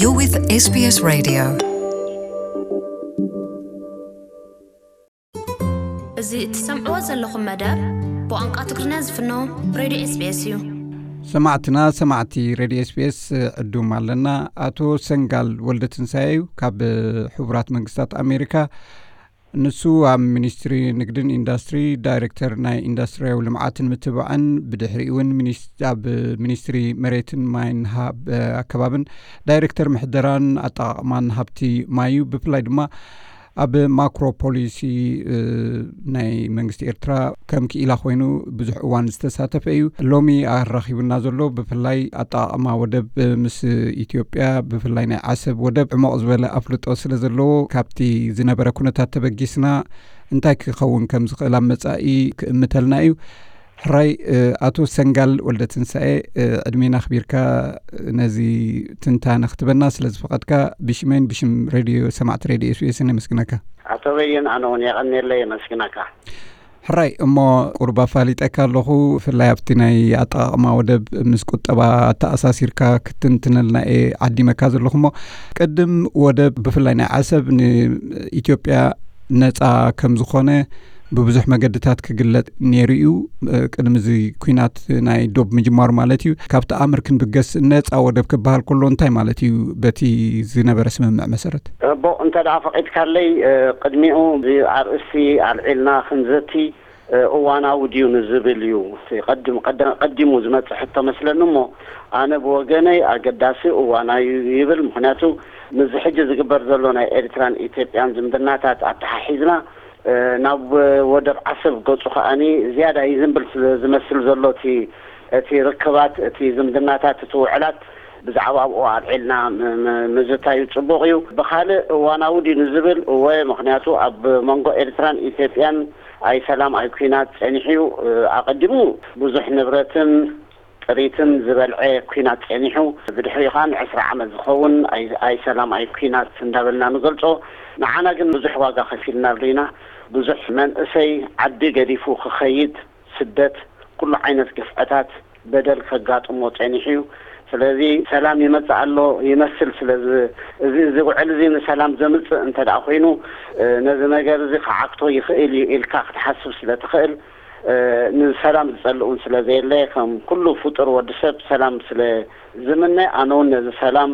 You're with S B S Radio. እዚ እትሰምዕዎ ዘለኹም መደብ ብቋንቋ ትግርኛ ዝፍኖ ሬድዮ S B S እዩ። ሰማዕትና ሰማዕቲ ሬድዮ S B S ዕዱም ኣለና። ኣቶ ሰንጋል ወልደ ትንሳኤ እዩ ካብ ሕቡራት መንግስታት ኣሜሪካ። ንሱ ኣብ ሚኒስትሪ ንግድን ኢንዱስትሪ ዳይሬክተር ናይ ኢንዱስትሪያዊ ልምዓትን ምትብባዕን፣ ብድሕሪኡ እውን ሚኒስ- ኣብ ሚኒስትሪ መሬትን ማይን ሃብ ኣከባብን ዳይሬክተር ምሕደራን ኣጠቓቕማን ሃብቲ ማይ እዩ። ብፍላይ ድማ ኣብ ማክሮ ፖሊሲ ናይ መንግስቲ ኤርትራ ከም ክኢላ ኮይኑ ብዙሕ እዋን ዝተሳተፈ እዩ። ሎሚ ኣራኺቡና ዘሎ ብፍላይ ኣጠቓቕማ ወደብ ምስ ኢትዮጵያ፣ ብፍላይ ናይ ዓሰብ ወደብ ዕሞቕ ዝበለ ኣፍልጦ ስለ ዘለዎ፣ ካብቲ ዝነበረ ኩነታት ተበጊስና እንታይ ክኸውን ከም ዝኽእል ኣብ መጻኢ ክእምተልና እዩ። ሕራይ ኣቶ ሰንጋል ወልደ ትንሳኤ፣ ዕድሜና ኣኽቢርካ ነዚ ትንታነ ክትበና ስለ ዝፈቐድካ፣ ብሽመይን ብሽም ሬድዮ ሰማዕቲ ሬድዮ S B S ነመስግነካ። ኣቶ በየን፣ ኣነ እውን የቐንየለይ፣ የመስግነካ። ሕራይ እሞ፣ ቁሩብ ኣፋሊጠካ ኣለኹ። ብፍላይ ኣብቲ ናይ ኣጠቓቕማ ወደብ ምስ ቁጠባ ኣተኣሳሲርካ ክትንትነልና እየ ዓዲመካ ዘለኹ። እሞ ቅድም ወደብ፣ ብፍላይ ናይ ዓሰብ፣ ንኢትዮጵያ ነፃ ከም ዝኾነ ብብዙሕ መገድታት ክግለጽ ነይሩ እዩ። ቅድሚ እዚ ኲናት ናይ ዶብ ምጅማሩ ማለት እዩ። ካብቲ ኣምር ክንብገስ፣ ነፃ ወደብ ክበሃል ከሎ እንታይ ማለት እዩ? በቲ ዝነበረ ስምምዕ መሰረት። እቦ፣ እንተ ደኣ ፈቒድካለይ፣ ቅድሚኡ እዚ ኣርእስቲ ኣልዒልና ክንዘቲ እዋናዊ ድዩ ንዝብል እዩ። እቲ ቀድም-፣ ቀደ-፣ ቀዲሙ ዝመጽእ ሕቶ መስለኒ እሞ፣ ኣነ ብወገነይ ኣገዳሲ እዋናዊ እዩ ይብል። ምኽንያቱ ምስዚ ሕጂ ዝግበር ዘሎ ናይ ኤርትራን ኢትዮጵያን ዝምድናታት ኣተሓሒዝና፣ ናብ ወደብ ዓሰብ ገጹ ከኣኒ ዝያዳ ይዝንብል ስለ ዝመስል ዘሎ እቲ፣ እቲ ርክባት፣ እቲ ዝምድናታት፣ እቲ ውዕላት ብዛዕባ ኣብኡ ኣልዒልና ም-፣ ም-፣ ምዝታዩ ጽቡቕ እዩ። ብኻልእ እዋናዊ ድዩ ንዝብል፣ እወ፣ ምኽንያቱ ኣብ መንጎ ኤርትራን ኢትዮጵያን ኣይ ሰላም ኣይ ኲናት ጸኒሑ እዩ። ኣቐዲሙ ብዙሕ ንብረትን ጥሪትን ዝበልዐ ኲናት ጸኒሑ፣ ብድሕሪኡ ኸኣ ንዕስራ ዓመት ዝኸውን ኣይ፣ ኣይ ሰላም ኣይ ኲናት እንዳበልና ንገልጾ። ንዓና ግን ብዙሕ ዋጋ ከፊልና ርኢና። ብዙሕ መንእሰይ ዓዲ ገዲፉ ክኸይድ፣ ስደት፣ ኩሉ ዓይነት ግፍዕታት፣ በደል ከጋጥሞ ጸኒሑ እዩ። ስለዚ ሰላም ይመጽእ ኣሎ ይመስል። ስለዚ እዚ፣ እዚ ውዕል እዚ ንሰላም ዘምጽእ እንተ ደኣ ኮይኑ፣ ነዚ ነገር እዚ ክዓግቶ ይኽእል እዩ ኢልካ ክትሓስብ ስለ ትኽእል፣ ንሰላም ዝጸልእ እውን ስለ ዘየለ፣ ከም ኩሉ ፍጡር ወዲ ሰብ ሰላም ስለ ዝምነ፣ ኣነ እውን ነዚ ሰላም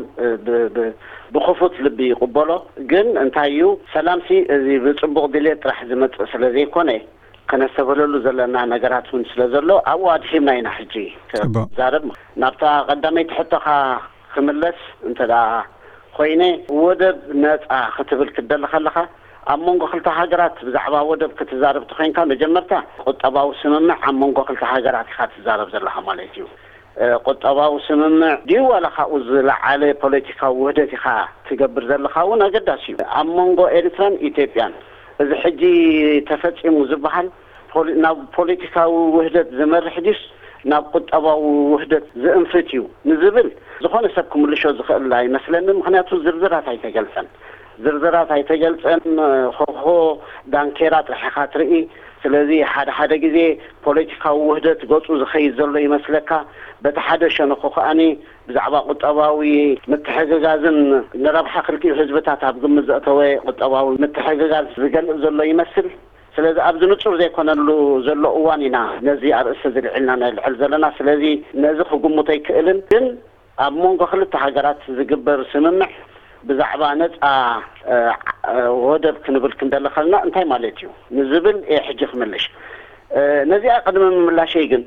ብ-፣ ብ-፣ ብክፉት ልቢ ይቕበሎ። ግን እንታይ እዩ፣ ሰላምሲ እዚ ብጽቡቕ ድሌት ጥራሕ ዝመጽእ ስለ ዘይኮነ፣ ከነስተብህለሉ ዘለና ነገራት እውን ስለ ዘሎ፣ ኣብኡ ኣድሒምና ኢና ሕጂ ጽቡቕ። ክንዛረብ። ናብታ ቀዳመይቲ ሕቶኻ ክምለስ እንተ ደኣ ኮይነ፣ ወደብ ነጻ ክትብል ክትደሊ ከለኻ፣ ኣብ መንጎ ክልተ ሃገራት ብዛዕባ ወደብ ክትዛረብ ተኾይንካ፣ መጀመርታ ቁጠባዊ ስምምዕ ኣብ መንጎ ክልተ ሃገራት ኢኻ ትዛረብ ዘለኻ ማለት እዩ። እ፣ ቁጠባዊ ስምምዕ ድዩ ዋላ ካብኡ ዝለዓለ ፖለቲካዊ ውህደት ኢኻ ትገብር ዘለኻ እውን ኣገዳሲ እዩ። ኣብ መንጎ ኤርትራን ኢትዮጵያን እዚ ሕጂ ተፈጺሙ ዝበሃል ፖሊ-፣ ናብ ፖለቲካዊ ውህደት ዝመርሕ ድዩስ ናብ ቁጠባዊ ውህደት ዝእንፍት እዩ ንዝብል ዝኾነ ሰብ ክምልሾ ዝኽእል ኣይመስለንን። ምኽንያቱ ዝርዝራት ኣይተገልጸን። ዝርዝራት ኣይተገልጸን። ሆሆ ዳንኬራ ጥራሕ ኢኻ ትርኢ። ስለዚ ሓደ ሓደ ግዜ ፖለቲካዊ ውህደት ገጹ ዝኸይድ ዘሎ ይመስለካ። በቲ ሓደ ሸነኹ ከኣኒ ብዛዕባ ቁጠባዊ ምትሕግጋዝን ንረብሓ ክልቲኡ ህዝብታት ኣብ ግምት ዘእተወ ቁጠባዊ ምትሕግጋዝ ዝገልጽ ዘሎ ይመስል። ስለዚ ኣብዚ ንጹር ዘይኮነሉ ዘሎ እዋን ኢና ነዚ ኣርእስቲ እዚ ልዒልና ነልዕል ዘለና። ስለዚ ነዚ ክግምቶ ኣይክእልን። ግን ኣብ መንጎ ክልተ ሃገራት ዝግበር ስምምዕ ብዛዕባ ነጻ፣ እ፣ እ፣ ወደብ ክንብል ክንደሊ ከለና እንታይ ማለት እዩ ንዝብል እየ ሕጂ ክምልሽ። እ፣ ነዚኣ ቅድሚ ምምላሸይ ግን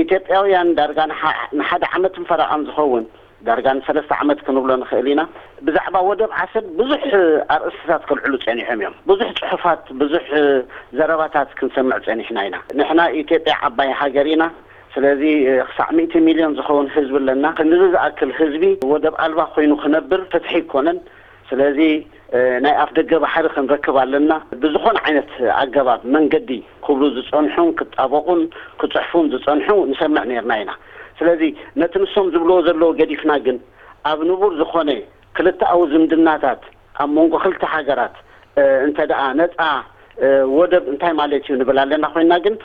ኢትዮጵያውያን ዳርጋ ንሓ-፣ ንሓደ ዓመትን ፈረቓን ዝኸውን፣ ዳርጋ ንሰለስተ ዓመት ክንብሎ ንኽእል ኢና፣ ብዛዕባ ወደብ ዓሰብ ብዙሕ ኣርእስትታት ከልዕሉ ጸኒሖም እዮም። ብዙሕ ጽሑፋት፣ ብዙሕ ዘረባታት ክንሰምዕ ጸኒሕና ኢና። ንሕና ኢትዮጵያ ዓባይ ሃገር ኢና። ስለዚ ክሳዕ ሚእቲ ሚልዮን ዝኸውን ህዝቢ ኣለና። ክንድዚ ዝኣክል ህዝቢ ወደብ ኣልባ ኮይኑ ክነብር ፍትሒ ኣይኮነን። ስለዚ፣ እ፣ ናይ ኣፍ ደገ ባሕሪ ክንረክብ ኣለና። ብዝኾነ ዓይነት ኣገባብ፣ መንገዲ ክብሉ ዝጸንሑን ክጣበቑን ክጽሕፉን ዝጸንሑ ንሰምዕ ነይርና ኢና። ስለዚ ነቲ ንሶም ዝብልዎ ዘለዉ ገዲፍና ግን፣ ኣብ ንቡር ዝኾነ ክልተኣዊ ዝምድናታት ኣብ መንጎ ክልተ ሃገራት፣ እ፣ እንተ ደኣ ነጻ፣ እ፣ ወደብ እንታይ ማለት እዩ ንብል ኣለና ኮይንና፣ ግን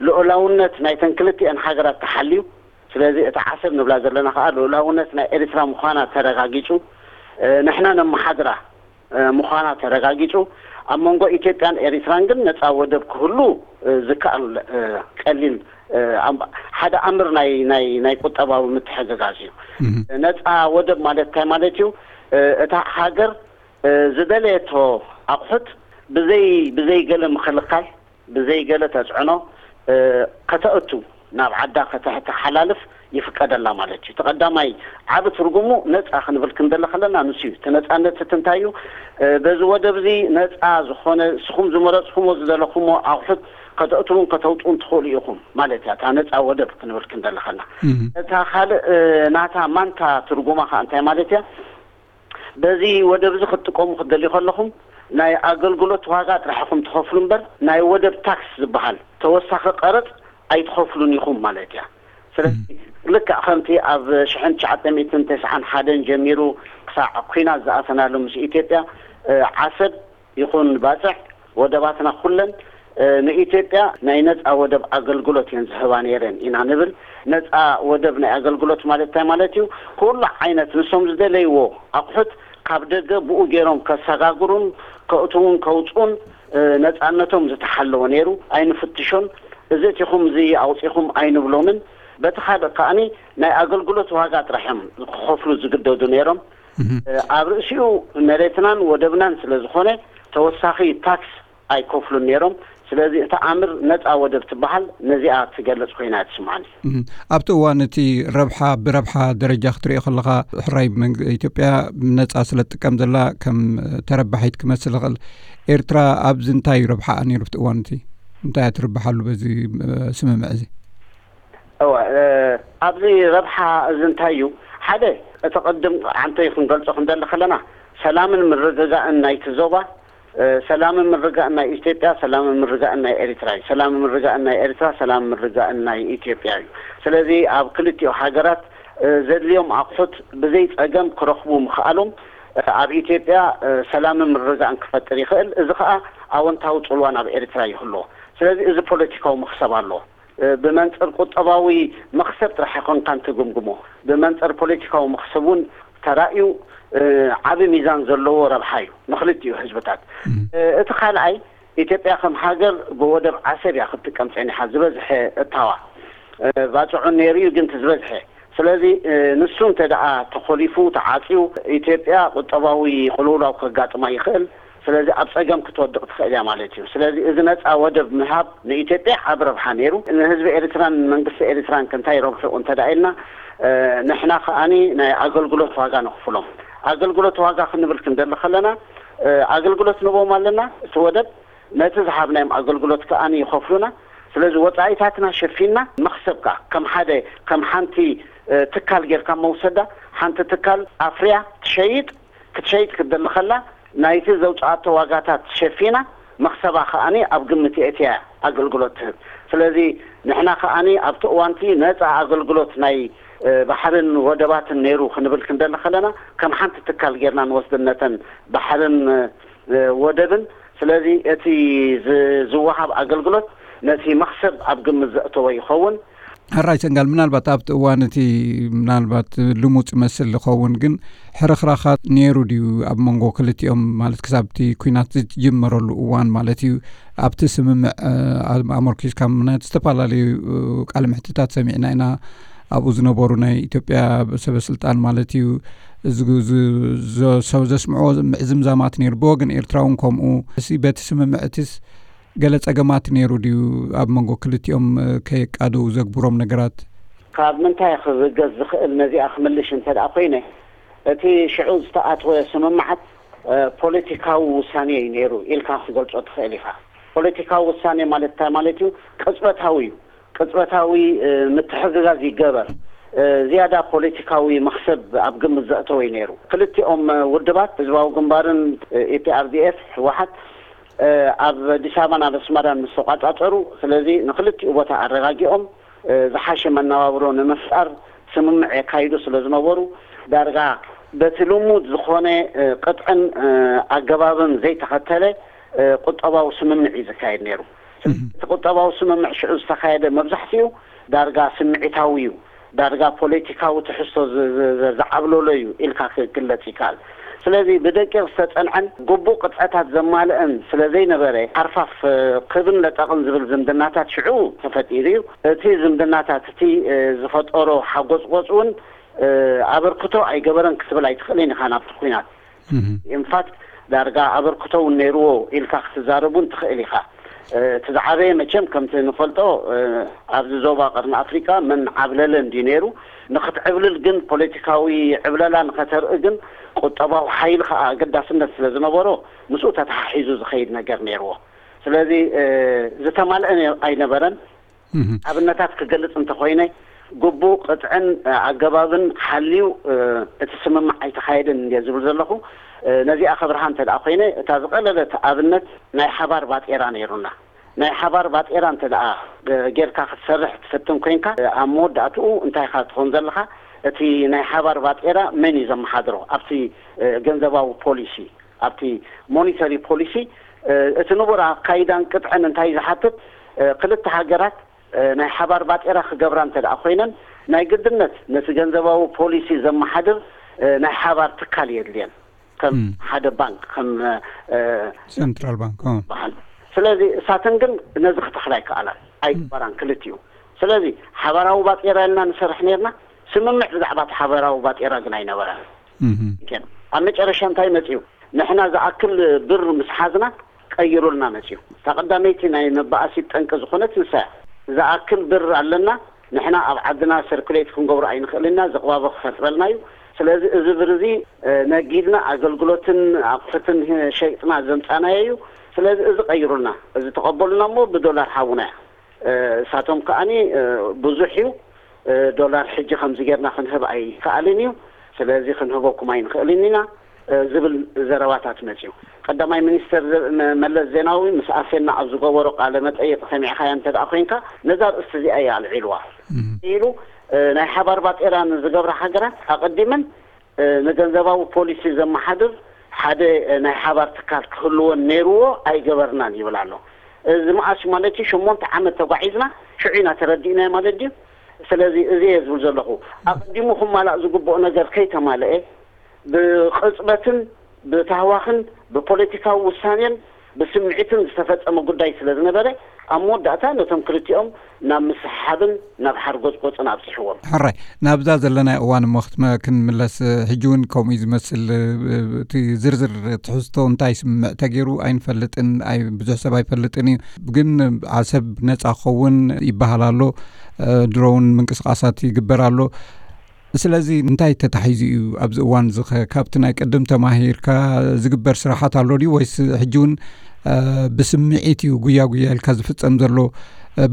ልኡላውነት ናይተን ክልቲኤን ሃገራት ተሓልዩ፣ ስለዚ እታ ዓሰብ ንብላ ዘለና ከኣ ልኡላውነት ናይ ኤርትራ ምዃና ተረጋጊጹ፣ ንሕና ነመሓድራ ምዃና ተረጋጊጹ፣ ኣብ መንጎ ኢትዮጵያን ኤሪትራን ግን ነጻ ወደብ ክህሉ ዝከኣል ቀሊል ሓደ ኣምር ናይ ቁጠባዊ ምትሕግጋዝ እዩ። ነጻ ወደብ ማለት እንታይ ማለት እዩ? እታ ሃገር ዝደለየቶ ኣቑሑት ብዘይ ብዘይ ገለ ምክልኻል፣ ብዘይ ገለ ተጽዕኖ ከተእቱ፣ ናብ ዓዳ ከተተሓላልፍ ይፍቀደላ ማለት እዩ። እቲ ቀዳማይ ዓቢ ትርጉሙ ነጻ ክንብል ክንደሊ ከለና ንሱ እዩ። እቲ ነጻነት እቲ እንታይ እዩ? በዚ ወደብ እዚ ነጻ ዝኾነ ንስኹም ዝመረጽኩሞ ዝደለኹሞ ኣቑሑት ከተእትውን ከተውጽኡን ትኽእሉ ኢኹም ማለት እያ። እታ ነጻ ወደብ ክንብል ክንደሊ ከለና እታ ካልእ ናታ ማንታ ትርጉማ ከኣ እንታይ ማለት እያ? በዚ ወደብ እዚ ክትጥቀሙ ክትደልዩ ከለኹም ናይ ኣገልግሎት ዋጋ ጥራሕ ኢኹም ትኸፍሉ እምበር ናይ ወደብ ታክስ ዝበሃል ተወሳኺ ቀረጽ ኣይትኸፍሉን ኢኹም ማለት እያ። ስለዚ ልክዕ ከምቲ ኣብ ሽሕን ትሽዓተ ሚእትን ተስዓን ሓደን ጀሚሩ ክሳዕ ኲናት ዝኣተናሉ ምስ ኢትዮጵያ ዓሰብ ይኹን ባጽዕ ወደባትና ኩለን ንኢትዮጵያ ናይ ነጻ ወደብ ኣገልግሎት እየን ዝህባ ነይረን ኢና ንብል። ነጻ ወደብ ናይ ኣገልግሎት ማለት እንታይ ማለት እዩ? ኩሉ ዓይነት ንሶም ዝደለይዎ ኣቑሑት ካብ ደገ ብኡ ገይሮም ከሰጋግሩን ከእትውን ከውፅኡን ነጻነቶም ዝተሓለወ ነይሩ። ኣይንፍትሾን፣ እዚ እቲኹም እዚ ኣውፂኹም ኣይንብሎምን። በቲ ካልእ ከኣኒ ናይ ኣገልግሎት ዋጋ ጥራሕ እዮም ክኸፍሉ ዝግደዱ ነይሮም። ኣብ ርእሲኡ መሬትናን ወደብናን ስለ ዝኾነ ተወሳኺ ታክስ ኣይከፍሉን ነይሮም። ስለዚ እታ ኣምር ነጻ ወደብ ትበሃል ነዚኣ ትገልጽ ኮይና እያ ትስምዓኒ። ኣብቲ እዋን እቲ ረብሓ ብረብሓ ደረጃ ክትሪኦ ከለኻ ሕራይ መንግ- ኢትዮጵያ ነጻ ስለ ትጥቀም ዘላ ከም ተረባሒት ክመስል ይኽእል። ኤርትራ ኣብዚ እንታይ እዩ ረብሓኣ ነይሩ ኣብቲ እዋን እቲ? እንታይ እያ ትርብሓሉ በዚ ስምምዕ እዚ? እወ ኣብዚ ረብሓ እዚ እንታይ እዩ? ሓደ እቲ ቅድም ዓንተይ ክንገልጾ ክንደሊ ከለና ሰላምን ምርግጋእን ናይቲ ዞባ ሰላምን ምርጋእን ናይ ኢትዮጵያ ሰላምን ምርጋእን ናይ ኤሪትራ እዩ። ሰላምን ምርጋእን ናይ ኤሪትራ ሰላምን ምርጋእን ናይ ኢትዮጵያ እዩ። ስለዚ ኣብ ክልቲኡ ሃገራት ዘድልዮም ኣቑሑት ብዘይ ጸገም ክረኽቡ ምኽኣሎም ኣብ ኢትዮጵያ ሰላምን ምርጋእን ክፈጥር ይኽእል። እዚ ኸኣ ኣወንታዊ ጽልዋ ናብ ኤሪትራ ይህልዎ። ስለዚ እዚ ፖለቲካዊ መኽሰብ ኣለዎ። ብመንጽር ቁጠባዊ መኽሰብ ጥራሕ ኣይኮንካን ትግምግሞ። ብመንጽር ፖለቲካዊ መኽሰብ እውን ተራእዩ ዓቢ ሚዛን ዘለዎ ረብሓ እዩ ንኽልቲኡ ህዝብታት። እቲ ካልኣይ ኢትዮጵያ ከም ሃገር ብወደብ ዓሰብ እያ ክትጥቀም ጸኒሓ። ዝበዝሐ እታዋ ባጽዑን ነይሩ እዩ ግን እቲ ዝበዝሐ ስለዚ ንሱ እንተ ደኣ ተኾሊፉ ተዓጽዩ ኢትዮጵያ ቁጠባዊ ቅልውላው ከጋጥማ ይኽእል። ስለዚ ኣብ ጸገም ክትወድቕ ትኽእል እያ ማለት እዩ። ስለዚ እዚ ነጻ ወደብ ምሃብ ንኢትዮጵያ ዓቢ ረብሓ ነይሩ። ንህዝቢ ኤርትራን መንግስቲ ኤርትራን ከ እንታይ ረብሕኡ እንተ ደኣ ኢልና ንሕና ከኣኒ ናይ ኣገልግሎት ዋጋ ነኽፍሎም። ኣገልግሎት ዋጋ ክንብል ክንደሊ ከለና ኣገልግሎት ንቦም ኣለና እቲ ወደብ ነቲ ዝሃብናዮም ኣገልግሎት ከኣ ይኸፍሉና። ስለዚ ወጻኢታትና ሸፊንና መኽሰብ ከኣ ከም ሓደ ከም ሓንቲ ትካል ጌርካ መውሰዳ ሓንቲ ትካል ኣፍርያ ትሸይጥ ክትሸይጥ ክትደሊ ከላ ናይቲ ዘውጽኣቶ ዋጋታት ሸፊና መኽሰባ ከኣ ኣብ ግምት የእትያ ኣገልግሎት ትህብ። ስለዚ ንሕና ከኣ ኣብቲ እዋንቲ ነጻ ኣገልግሎት ናይ ባሕርን ወደባትን ነይሩ ክንብል ክንደሊ ከለና ከም ሓንቲ ትካል ጌርና ንወስደን ነተን ባሕርን ወደብን። ስለዚ እቲ ዝወሃብ ኣገልግሎት ነቲ መኽሰብ ኣብ ግምት ዘእተወ ይኸውን። ሕራይ ሰንጋል፣ ምናልባት ኣብቲ እዋን እቲ ምናልባት ልሙጽ ይመስል ዝኸውን ግን ሕርኽራኻት ነይሩ ድዩ ኣብ መንጎ ክልቲኦም ማለት ክሳብ እቲ ኲናት ዝጅመረሉ እዋን ማለት እዩ? ኣብቲ ስምምዕ ኣመርኪስካ ምክንያት ዝተፈላለዩ ቃለ ምሕትታት ሰሚዕና ኢና። ኣብኡ ዝነበሩ ናይ ኢትዮጵያ ሰበ ስልጣን ማለት እዩ ሰብ ዘስምዖ ምዕዝምዛማት ነይሩ። ብወገን ኤርትራ እውን ከምኡ። በቲ ስምምዕትስ ገለ ጸገማት ነይሩ ድዩ ኣብ መንጎ ክልቲኦም ከየቃድው ዘግብሮም ነገራት? ካብ ምንታይ ክብገስ ዝኽእል ነዚኣ ክምልሽ እንተ ደኣ ኮይነ እቲ ሽዑ ዝተኣትወ ስምምዓት ፖለቲካዊ ውሳኔ እዩ ነይሩ ኢልካ ክትገልጾ ትኽእል ኢኻ። ፖለቲካዊ ውሳኔ ማለት እንታይ ማለት እዩ? ቅጽበታዊ እዩ። ቅጽበታዊ ምትሕግጋዝ ይገበር። ዝያዳ ፖለቲካዊ መኽሰብ ኣብ ግምት ዘእተወ እዩ ነይሩ። ክልቲኦም ውድባት ህዝባዊ ግንባርን ኢፒኣርዲኤፍ ህወሓት ኣብ ኣዲስ ኣበባን ኣብ ኣስመራን ምስ ተቋጻጸሩ፣ ስለዚ ንክልቲኡ ቦታ ኣረጋጊኦም ዝሓሸ መነባብሮ ንምፍጣር ስምምዕ የካይዱ ስለ ዝነበሩ ዳርጋ በቲ ልሙድ ዝኾነ ቅጥዕን ኣገባብን ዘይተኸተለ ቁጠባዊ ስምምዕ እዩ ዝካየድ ነይሩ። እቲ ቁጠባዊ ስምምዕ ሽዑ ዝተኻየደ መብዛሕትኡ ዳርጋ ስምዒታዊ እዩ። ዳርጋ ፖለቲካዊ ትሕዝቶ ዝ- ዝ- ዝ- ዝዓብለሎ እዩ ኢልካ ክግለጽ ይከኣል። ስለዚ ብደቂቕ ዝተጸንዐን ግቡእ ቅጥዕታት ዘማልአን ስለ ዘይነበረ፣ ሓርፋፍ ክብን ለጠቕን ዝብል ዝምድናታት ሽዑ ተፈጢሩ እዩ። እቲ ዝምድናታት እቲ ዝፈጠሮ ሓጎጽጎጽ እውን ኣበርክቶ ኣይገበረን ክትብል ኣይትኽእልን ኢኻ ናብቲ ኲናት። ኢንፋክት ዳርጋ ኣበርክቶ እውን ነይርዎ ኢልካ ክትዛረብ እውን ትኽእል ኢኻ። እቲ ዝዓበየ መቸም ከምቲ ንፈልጦ ኣብዚ ዞባ ቀርኒ ኣፍሪቃ መን ዓብለለ እንዲ ነይሩ። ንክትዕብልል ግን ፖለቲካዊ ዕብለላ ንኸተርኢ ግን ቁጠባዊ ሓይሊ ከዓ ኣገዳስነት ስለ ዝነበሮ ምስኡ ተተሓሒዙ ዝኸይድ ነገር ነይርዎ። ስለዚ ዝተማልአ ኣይነበረን። ኣብነታት ክገልጽ እንተኾይነ ግቡእ ቅጥዕን ኣገባብን ሓልዩ እቲ ስምምዕ ኣይተኻየደን እንደ ዝብል ዘለኹ። ነዚኣ ከብርሃ እንተ ደኣ ኮይነ እታ ዝቐለለት ኣብነት ናይ ሓባር ባጤራ ነይሩና። ናይ ሓባር ባጤራ እንተ ደኣ ጌርካ ክትሰርሕ ትፍትን ኮይንካ ኣብ መወዳእትኡ እንታይ ኢኻ ትኾን ዘለኻ? እቲ ናይ ሓባር ባጤራ መን እዩ ዘመሓድሮ ኣብቲ ገንዘባዊ ፖሊሲ ኣብቲ ሞኒተሪ ፖሊሲ እቲ ንቡር ኣካይዳን ቅጥዕን እንታይ ዝሓትት ክልተ ሃገራት ናይ ሓባር ባጤራ ክገብራ እንተ ደኣ ኮይነን ናይ ግድነት ነቲ ገንዘባዊ ፖሊሲ ዘመሓድር ናይ ሓባር ትካል የድልየን ከም ሓደ ባንክ ከም ሴንትራል ባንክ በሃል። ስለዚ እሳተን ግን ነዚ ክተኽላ ይከኣላን ኣይግበራን ክልቲኡ። ስለዚ ሓባራዊ ባጤራ ኢልና ንሰርሕ ነርና። ስምምዕ ብዛዕባ እቲ ሓባራዊ ባጤራ ግን ኣይነበረን። ኣብ መጨረሻ እንታይ መፅኡ? ንሕና ዝኣክል ብር ምስ ሓዝና ቀይሩልና መፅኡ። እታ ቀዳመይቲ ናይ መባኣሲት ጠንቂ ዝኾነት ንሳ እያ። ዝኣክል ብር ኣለና፣ ንሕና ኣብ ዓድና ሰርኩሌት ክንገብሮ ኣይንኽእልና፣ ዝቕባበ ክፈጥረልና እዩ። ስለዚ እዚ ብር እዚ ነጊድና ኣገልግሎትን ኣቑሑትን ሸይጥና ዘምፃናዮ እዩ። ስለዚ እዚ ቀይሩልና፣ እዚ ተቐበሉና እሞ ብዶላር ሃቡና እያ። እሳቶም ከኣኒ ብዙሕ እዩ ዶላር ሕጂ ከምዚ ጌርና ክንህብ ኣይከኣልን እዩ። ስለዚ ክንህበኩም ኣይንኽእልን ኢና ዝብል ዘረባታት መፅዩ። ቀዳማይ ሚኒስተር መለስ ዜናዊ ምስ ኣሴና ኣብ ዝገበሮ ቃለ መጠይቕ ሰሚዕኻያ እንተ ደኣ ኮይንካ ነዛ ርእስቲ እዚኣ እያ ኣልዒልዋ ኢሉ። ናይ ሓባር ባጤራ ንዝገብራ ሃገራት ኣቐዲመን ንገንዘባዊ ፖሊሲ ዘመሓድር ሓደ ናይ ሓባር ትካል ክህልወን ነይርዎ ኣይገበርናን ይብል ኣሎ። እዚ መኣስ ማለት እዩ ሸሞንተ ዓመት ተጓዒዝና ሽዑ ኢና ተረዲእናዮ ማለት ድዩ? ስለዚ እዚ እየ ዝብል ዘለኹ። ኣቐዲሙ ክማላእ ዝግብኦ ነገር ከይተማልአ ብቕፅበትን ብታህዋኽን ብፖለቲካዊ ውሳኔን ብስምዒትን ዝተፈጸመ ጉዳይ ስለ ዝነበረ ኣብ መወዳእታ ነቶም ክልቲኦም ናብ ምስሕሓብን ናብ ሓርጎጽጎጽን ኣብጺሕዎም። ሕራይ ናብዛ ዘለናዮ እዋን እሞ ክትመ ክንምለስ ሕጂ እውን ከምኡ እዩ ዝመስል። እቲ ዝርዝር ትሕዝቶ እንታይ ስምምዕ ተገይሩ ኣይንፈልጥን፣ ኣይ ብዙሕ ሰብ ኣይፈልጥን እዩ። ግን ዓሰብ ነጻ ክኸውን ይበሃል ኣሎ። ድሮ እውን ምንቅስቃሳት ይግበር ኣሎ። ስለዚ እንታይ ተታሒዙ እዩ ኣብዚ እዋን እዚ ኸ ካብቲ ናይ ቅድም ተማሂርካ ዝግበር ስራሓት ኣሎ ድዩ ወይስ ሕጂ እውን ብስምዒት እዩ ጉያ ጉያ ኢልካ ዝፍጸም ዘሎ?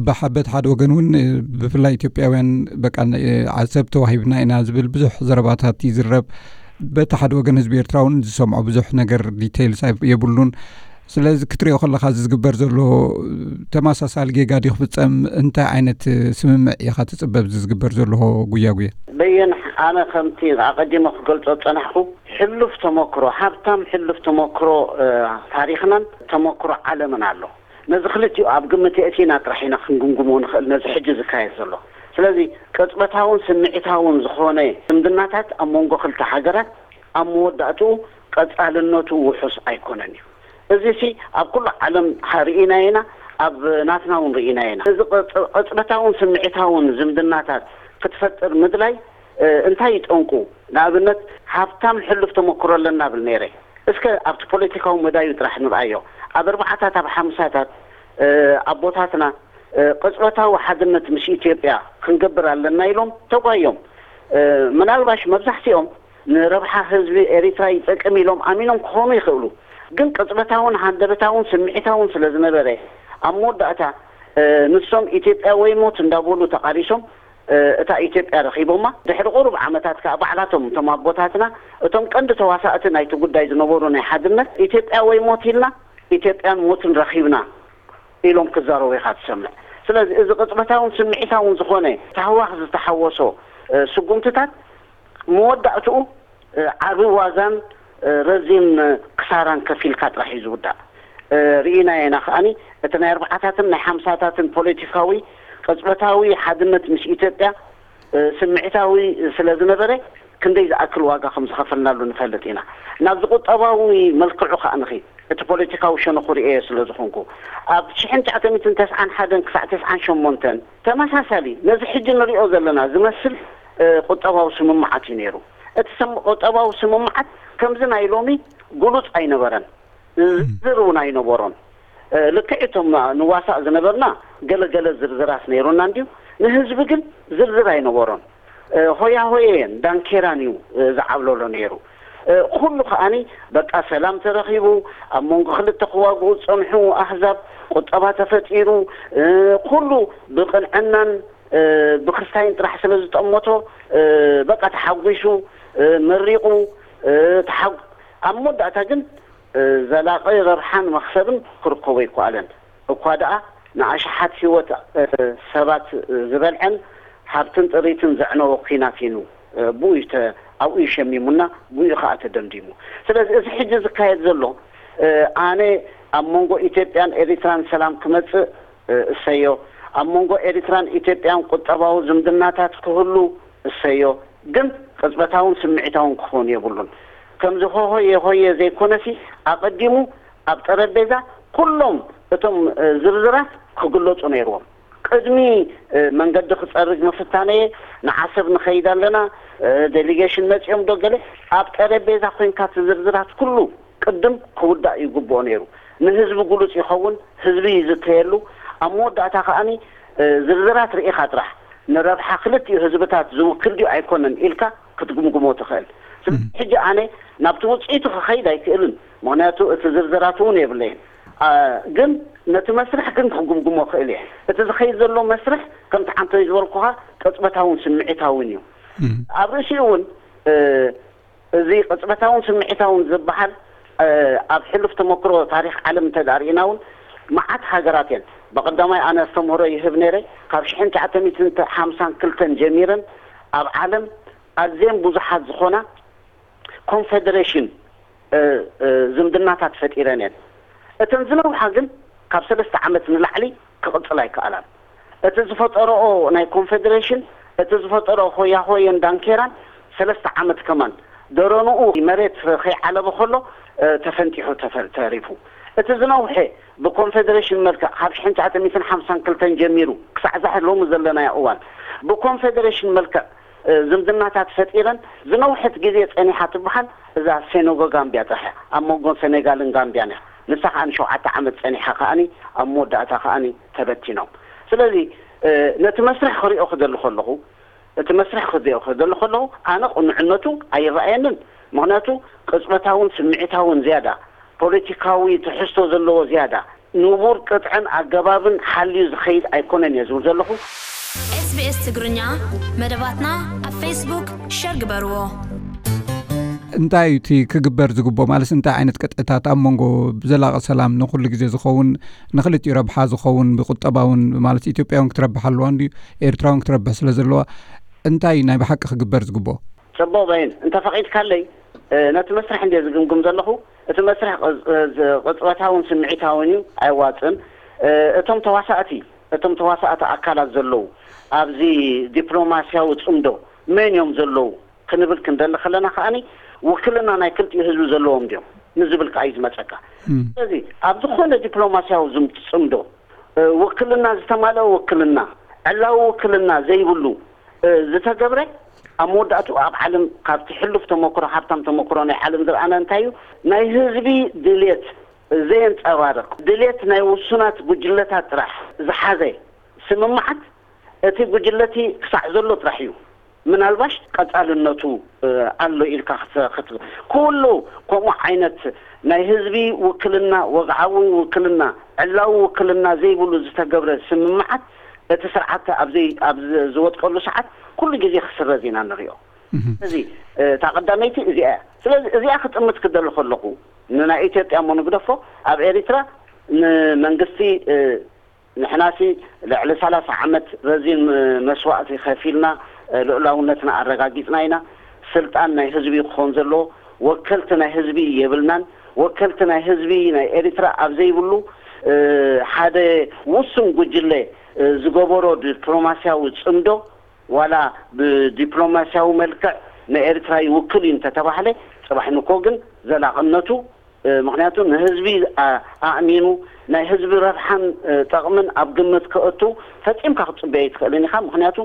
በሓ- በቲ ሓደ ወገን እውን ብፍላይ ኢትዮጵያውያን በቃ ዓሰብ ተዋሂብና ኢና ዝብል ብዙሕ ዘረባታት ይዝረብ። በቲ ሓደ ወገን ህዝቢ ኤርትራ እውን ዝሰምዖ ብዙሕ ነገር ዲቴይልስ ኣይ- የብሉን። ስለዚ ክትሪኦ ከለኻ እዚ ዝግበር ዘሎ ተመሳሳሊ ጌጋ ድዩ ክፍጸም? እንታይ ዓይነት ስምምዕ ኢኻ ትጽበ ኣብዚ ዝግበር ዘሎ ጉያ ጉያ? በየን ኣነ ከምቲ ኣቐዲመ ክገልጾ ዝጸናሕኩ ሕሉፍ ተመክሮ፣ ሃብታም ሕሉፍ ተመክሮ ታሪኽናን ተመክሮ ዓለምን ኣሎ። ነዚ ክልቲኡ ኣብ ግምት የእቲና ጥራሕ ኢና ክንግምግሞ ንኽእል ነዚ ሕጂ ዝካየድ ዘሎ። ስለዚ ቅጽበታውን ስምዒታውን ዝኾነ ዝምድናታት ኣብ መንጎ ክልተ ሃገራት ኣብ መወዳእትኡ ቀጻልነቱ ውሑስ ኣይኮነን እዩ። እዚሲ ኣብ ኩሉ ዓለም ርኢናዮ ኢና፣ ኣብ ናትና እውን ርኢናዮ ኢና። እዚ ቅጽበታውን ስምዒታውን ዝምድናታት ክትፈጥር ምድላይ እንታይ እዩ ጠንቁ? ንኣብነት ሃብታም ሕሉፍ ተመክሮ ኣለና ብል ነይረ። እስከ ኣብቲ ፖለቲካዊ መዳዩ ጥራሕ ንርኣዮ። ኣብ ኣርባዓታት ኣብ ሓምሳታት ኣቦታትና ቅጽበታዊ ሓድነት ምስ ኢትዮጵያ ክንገብር ኣለና ኢሎም ተጓዮም። ምናልባሽ መብዛሕትኦም ንረብሓ ህዝቢ ኤሪትራ ይጠቅም ኢሎም ኣሚኖም ክኾኑ ይኽእሉ። ግን ቅጽበታውን ሃንደበታውን ስምዒታውን ስለ ዝነበረ ኣብ መወዳእታ ንሶም ኢትዮጵያ ወይ ሞት እንዳበሉ ተቓሊሶም እታ ኢትዮጵያ ረኺቦማ። ድሕሪ ቁሩብ ዓመታት ከኣ ባዕላቶም እቶም ኣቦታትና እቶም ቀንዲ ተዋሳእቲ ናይቲ ጉዳይ ዝነበሩ ናይ ሓድነት ኢትዮጵያ ወይ ሞት ኢልና ኢትዮጵያን ሞትን ረኺብና ኢሎም ክዛረቡ ኢኻ ትሰምዕ። ስለዚ እዚ ቅጽበታውን ስምዒታውን ዝኾነ ታህዋኽ ዝተሓወሶ ስጉምትታት መወዳእትኡ ዓቢ ዋጋን ረዚን ክሳራን ከፊልካ ጥራሕ እዩ ዝውዳእ። ርኢናዮ ኢና ከኣኒ እቲ ናይ ኣርባዓታትን ናይ ሓምሳታትን ፖለቲካዊ ቅጽበታዊ ሓድነት ምስ ኢትዮጵያ ስምዒታዊ ስለ ዝነበረ ክንደይ ዝኣክል ዋጋ ከም ዝኸፈልናሉ ንፈልጥ ኢና። ናብዚ ቁጠባዊ መልክዑ ከኣ ንኺድ፣ እቲ ፖለቲካዊ ሸነኹ ርእየ ስለ ዝኾንኩ፣ ኣብ ሽሕን ትሽዓተ ሚእትን ተስዓን ሓደን ክሳዕ ተስዓን ሸሞንተን ተመሳሳሊ ነዚ ሕጂ ንሪኦ ዘለና ዝመስል ቁጠባዊ ስምምዓት እዩ ነይሩ። እቲ ቁጠባዊ ስምምዓት ከምዚ ናይ ሎሚ ግሉጽ ኣይነበረን፣ ዝርዝር እውን ኣይነበሮን። ልክዕ እቶም ንዋሳእ ዝነበርና ገለገለ ዝርዝራት ነይሩና እንድዩ፣ ንህዝቢ ግን ዝርዝር ኣይነበሮን። ሆያ ሆየን ዳንኬራን እዩ ዝዓብለሎ ነይሩ። ኩሉ ከኣኒ በቃ ሰላም ተረኺቡ፣ ኣብ መንጎ ክልተ ክዋግኡ ዝጸንሑ ኣህዛብ ቁጠባ ተፈጢሩ፣ ኩሉ ብቕንዕናን ብክስታይን ጥራሕ ስለ ዝጠመቶ በቃ ተሓጒሱ፣ መሪቑ፣ ተሓጉ ኣብ መወዳእታ ግን ዘላቒ ረብሓን መኽሰብን ክርከቦ ኣይከኣለን። እኳ ደኣ ንኣሽሓት ህይወት ሰባት ዝበልዐን ሃብትን ጥሪትን ዘዕነወ ኲናት እዩ። ብኡ እዩ ተ- ኣብኡ እዩ ሸሚሙና፣ ብኡ እዩ ከዓ ተደምዲሙ። ስለዚ እዚ ሕጂ ዝካየድ ዘሎ ኣነ ኣብ መንጎ ኢትዮጵያን ኤሪትራን ሰላም ክመፅእ እሰዮ፣ ኣብ መንጎ ኤሪትራን ኢትዮጵያን ቁጠባዊ ዝምድናታት ክህሉ እሰዮ፣ ግን ቅጽበታውን ስምዒታውን ክኸውን የብሉን። ከምዚ ሆሆየ ሆየ ዘይኮነሲ ኣቐዲሙ ኣብ ጠረጴዛ ኩሎም እቶም ዝርዝራት ክግለጹ ነይርዎም። ቅድሚ መንገዲ ክጸርግ ምፍታነየ ንዓሰብ ንኸይድ ኣለና፣ ዴሊጌሽን መጺኦም ዶ ገለ ኣብ ጠረጴዛ ኮይንካ እቲ ዝርዝራት ኩሉ ቅድም ክውዳእ ይግብኦ ነይሩ። ንህዝቢ ግሉጽ ይኸውን፣ ህዝቢ ይዝተየሉ። ኣብ መወዳእታ ከኣኒ ዝርዝራት ርኢኻ ጥራሕ ንረብሓ ክልቲኡ ህዝብታት ዝውክል ድዩ ኣይኮነን ኢልካ ክትግምግሞ ትኽእል። ስለዚ ሕጂ ኣነ ናብቲ ውፅኢቱ ክኸይድ ኣይክእልን፣ ምኽንያቱ እቲ ዝርዝራት እውን የብለይን። ግን ነቲ መስርሕ ግን ክግምግሞ ክእል እየ። እቲ ዝኸይድ ዘሎ መስርሕ ከምቲ ዓንቶይ ዝበልኩኻ ቅፅበታውን ስምዒታውን እዩ። ኣብ ርእሲኡ እውን እዚ ቅጽበታውን ስምዒታውን ዝበሃል ኣብ ሕሉፍ ተመክሮ ታሪኽ ዓለም እንተ ዳኣ ርኢና እውን መዓት ሃገራት እየን። ብቐዳማይ ኣነ ኣስተምህሮ ይህብ ነይረ። ካብ ሽሕን ትሽዓተ ሚእትን ሓምሳን ክልተን ጀሚረን ኣብ ዓለም ኣዝየን ብዙሓት ዝኾና ኮንፌደሬሽን ዝምድናታት ፈጢረን እየን። እተን ዝነውሓ ግን ካብ ሰለስተ ዓመት ንላዕሊ ክቕጽል ኣይከኣላን። እቲ ዝፈጠረኦ ናይ ኮንፌደሬሽን፣ እቲ ዝፈጠረኦ ሆያ ሆየን ዳንኬራን ሰለስተ ዓመት ከማን ደረንኡ መሬት ከይዓለበ ከሎ ተፈንጢሑ ተፈ- ተሪፉ። እቲ ዝነውሐ ብኮንፌደሬሽን መልክዕ ካብ ሽሕን ትሽዓተ ሚእትን ሓምሳን ክልተን ጀሚሩ ክሳዕ ዛሕ ሎሚ ዘለናዮ እዋን ብኮንፌደሬሽን መልክዕ ዝምድናታት ፈጢረን ዝነውሐት ግዜ ጸኒሓ ትበሃል እዛ ሴኖጎ ጋምቢያ ጥራሕ እያ። ኣብ መንጎ ሰኔጋልን ጋምቢያን እያ። ንሳ ከኣ ንሸውዓተ ዓመት ጸኒሓ ከኣኒ ኣብ መወዳእታ ከኣኒ ተበቲኖም። ስለዚ ነቲ መስርሕ ክሪኦ ክደሊ ከለኹ እቲ መስርሕ ክሪኦ ክደሊ ከለኹ ኣነ ቅኑዕነቱ ኣይረኣየንን። ምኽንያቱ ቅጽበታውን ስምዒታውን ዝያዳ ፖለቲካዊ ትሕዝቶ ዘለዎ ዝያዳ ንቡር ቅጥዕን ኣገባብን ሓልዩ ዝኸይድ ኣይኮነን እየ ዝብል ዘለኹ። SBS ትግርኛ መደባትና ኣብ ፌስቡክ ሸር ግበርዎ። እንታይ እዩ እቲ ክግበር ዝግብኦ? ማለት እንታይ ዓይነት ቅጥዕታት ኣብ መንጎ ብዘላቒ ሰላም ንኹሉ ግዜ ዝኸውን ንክልቲኡ ረብሓ ዝኸውን ብቁጠባውን ማለት ኢትዮጵያ እውን ክትረብሕ ኣለዋ እንዲ ኤርትራ እውን ክትረብሕ ስለ ዘለዋ እንታይ ናይ ብሓቂ ክግበር ዝግብኦ? ጽቡቕ በይን እንተፈቒድካለይ ነቲ መስርሕ እንድየ ዝግምግም ዘለኹ። እቲ መስርሕ ቅጽበታውን ስምዒታውን እዩ፣ ኣየዋጽእን። እቶም ተዋሳእቲ እቶም ተዋሳእቲ ኣካላት ዘለዉ ኣብዚ ዲፕሎማስያዊ ጽምዶ መን እዮም ዘለዉ ክንብል ክንደሊ ከለና ከኣኒ ውክልና ናይ ክልቲኡ ህዝቢ ዘለዎም ድዮም ንዝብል ከኣ እዩ ዝመጸካ። ስለዚ ኣብ ዝኾነ ዲፕሎማስያዊ ዝም- ጽምዶ ውክልና ዝተማልአ ውክልና ዕላዊ ውክልና ዘይብሉ ዝተገብረ ኣብ መወዳእትኡ ኣብ ዓለም ካብቲ ሕሉፍ ተመክሮ ሃብታም ተመክሮ ናይ ዓለም ዝረኣና እንታይ እዩ ናይ ህዝቢ ድልየት ዘየንጸባርቕ ድሌት ናይ ውሱናት ጉጅለታት ጥራሕ ዝሓዘ ስምምዓት እቲ ጉጅለቲ ክሳዕ ዘሎ ጥራሕ እዩ። ምናልባሽ ቀጻልነቱ ኣሎ ኢልካ ክትብል ኩሉ ከምኡ ዓይነት ናይ ህዝቢ ውክልና ወግዓዊ ውክልና ዕላዊ ውክልና ዘይብሉ ዝተገብረ ስምምዓት እቲ ስርዓት ኣብ ዝወጥቀሉ ሰዓት ኩሉ ግዜ ክስረዝ ኢና ንሪኦ። እዚ እታ ቀዳመይቲ እዚኣ እያ። ስለዚ እዚኣ ክጥምት ክደሊ ከለኹ ንናይ ኢትዮጵያ እሞ ንግደፎ ኣብ ኤሪትራ ንመንግስቲ ንሕናሲ ልዕሊ ሰላሳ ዓመት ረዚን መስዋእቲ ከፊልና ልኡላውነትና ኣረጋጊጽና ኢና። ስልጣን ናይ ህዝቢ ክኾን ዘለዎ ወከልቲ ናይ ህዝቢ የብልናን። ወከልቲ ናይ ህዝቢ ናይ ኤሪትራ ኣብ ዘይብሉ ሓደ ውሱን ጉጅለ ዝገበሮ ዲፕሎማስያዊ ጽምዶ ዋላ ብዲፕሎማሲያዊ መልክዕ ንኤርትራ ይውክል እዩ እንተተባህለ፣ ጽባሕ ንኮ ግን ዘላቕነቱ፣ እ፣ ምኽንያቱ ንህዝቢ፣ ኣ-፣ ኣእሚኑ ናይ ህዝቢ ረብሓን፣ እ፣ ጠቕምን ኣብ ግምት ከእቱ ፈጺምካ ክትጽበዮ ኣይትኽእልን ኢኻ። ምኽንያቱ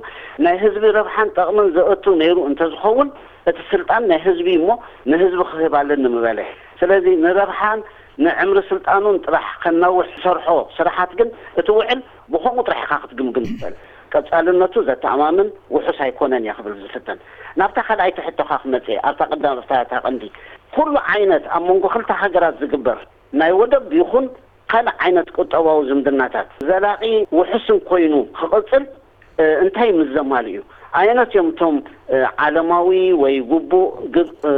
ናይ ህዝቢ ረብሓን ጠቕምን ዘእቱ ነይሩ እንተዝኸውን፣ እቲ ስልጣን ናይ ህዝቢ እሞ ንህዝቢ ክህብ ኣለኒ ምበለ። ስለዚ ንረብሓን ንዕምሪ ስልጣኑን ጥራሕ ከናውሕ ዝሰርሖ ስራሓት ግን እቲ ውዕል ብኸምኡ ጥራሕ ኢኻ ክትግምግም ትኽእል። ቀጻልነቱ ዘተኣማምን ውሑስ ኣይኮነን እየ ክብል ዝፍትን። ናብታ ካልኣይቲ ሕቶኻ ክመጽእ እየ፣ ኣብታ ቀዳም፣ ኣብታ፣ እታ ቀንዲ፣ ኩሉ ዓይነት ኣብ መንጎ ክልተ ሃገራት ዝግበር ናይ ወደብ ይኹን ካልእ ዓይነት ቁጠባዊ ዝምድናታት ዘላቒ ውሑስን ኮይኑ ክቕጽል፣ እ፣ እንታይ ምስ ዘማልኡ እዩ? ኣየኖት እዮም እቶም፣ እ፣ ዓለማዊ ወይ ግቡእ ግብ-፣ እ፣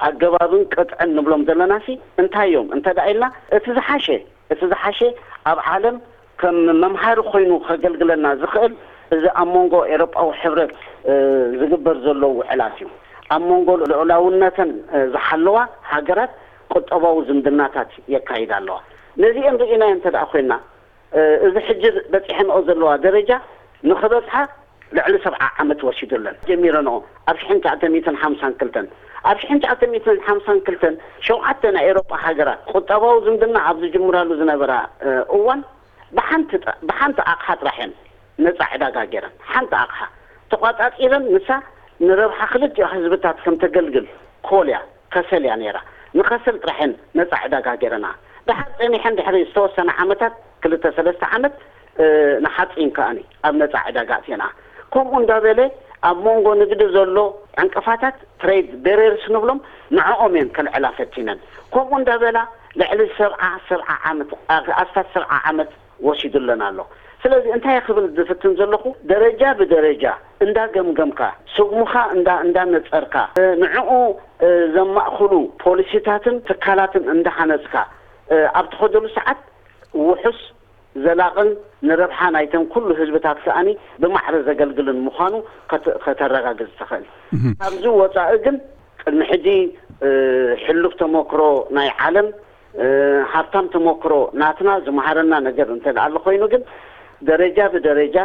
ኣገባብን ቅጥዕን ንብሎም ዘለናሲ እንታይ እዮም? እንተ ደኣ ኢልና፣ እቲ ዝሓሸ፣ እቲ ዝሓሸ ኣብ ዓለም ከም መምሃሪ ኮይኑ ከገልግለና ዝኽእል፣ እዚ ኣብ መንጎ ኤውሮጳዊ ሕብረት፣ እ፣ ዝግበር ዘሎ ውዕላት እዩ። ኣብ መንጎ ልዑላውነተን፣ እ፣ ዝሓለዋ ሃገራት ቁጠባዊ ዝምድናታት የካይዳ ኣለዋ። ነዚአን ርኢናዮ እንተ ደኣ ኮይና፣ እ፣ እዚ ሕጂ በጺሐንኦ ዘለዋ ደረጃ ንኽበጽሓ ልዕሊ ሰብዓ ዓመት ወሲዱለን። ጀሚረንኦ ኣብ ሽሕን ትሽዓተ ሚእትን ሓምሳን ክልተን። ኣብ ሽሕን ትሽዓተ ሚእትን ሓምሳን ክልተን ሸውዓተ ናይ ኤውሮጳ ሃገራት ቁጠባዊ ዝምድና ኣብ ዝጅምራሉ ዝነበራ፣ እ፣ እዋን ብሓንቲ ጥ-፣ ብሓንቲ ኣቕሓ ጥራሕ እየን ነጻ ዕዳጋ ገይረን። ሓንቲ ኣቕሓ ተቋጻጺረን፣ ንሳ ንረብሓ ክልቲኡ ህዝብታት ከም ተገልግል ኮል እያ፣ ከሰል እያ ነይራ። ንኸሰል ጥራሕ እየን ነጻ ዕዳጋ ገይረና። ድሓር ጸኒሐን ድሕሪ ዝተወሰነ ዓመታት፣ ክልተ ሰለስተ ዓመት፣ እ፣ ንሓጺን ከኣኒ ኣብ ነጻ ዕዳጋ ኣእትየንኣ። ከምኡ እንዳበለ ኣብ መንጎ ንግዲ ዘሎ ዕንቅፋታት፣ ትሬድ ቤሬርስ ንብሎም፣ ንዕኦም እየን ከልዕላ ፈቲነን። ከምኡ እንዳበላ ልዕሊ ሰብዓ፣ ሰብዓ ዓመት፣ ኣ-፣ ኣስታት ሰብዓ ዓመት ወሲዱለን ኣሎ። ስለዚ እንታይ ክብል ዝፍትን ዘለኹ፣ ደረጃ ብደረጃ እንዳገምገምካ፣ ስጉምኻ እንዳ-፣ እንዳነጸርካ፣ እ፣ ንዕኡ፣ እ፣ ዘማእኽሉ ፖሊሲታትን ትካላትን እንዳሃነጽካ፣ እ፣ ኣብ ትኸደሉ ሰዓት ውሑስ፣ ዘላቕን ንረብሓ ናይተን ኩሉ ህዝብታት ከኣኒ ብማዕረ ዘገልግልን ምዃኑ ከተ-፣ ከተረጋግጽ ትኽእል። እህ። ካብዚ ወጻኢ ግን ቅድሚ ሕጂ፣ እ፣ ሕሉፍ ተመክሮ ናይ ዓለም፣ እ፣ ሃብታም ተመክሮ ናትና ዝመሃረና ነገር እንተ ደኣ ኣሎ ኮይኑ ግን ደረጃ ብደረጃ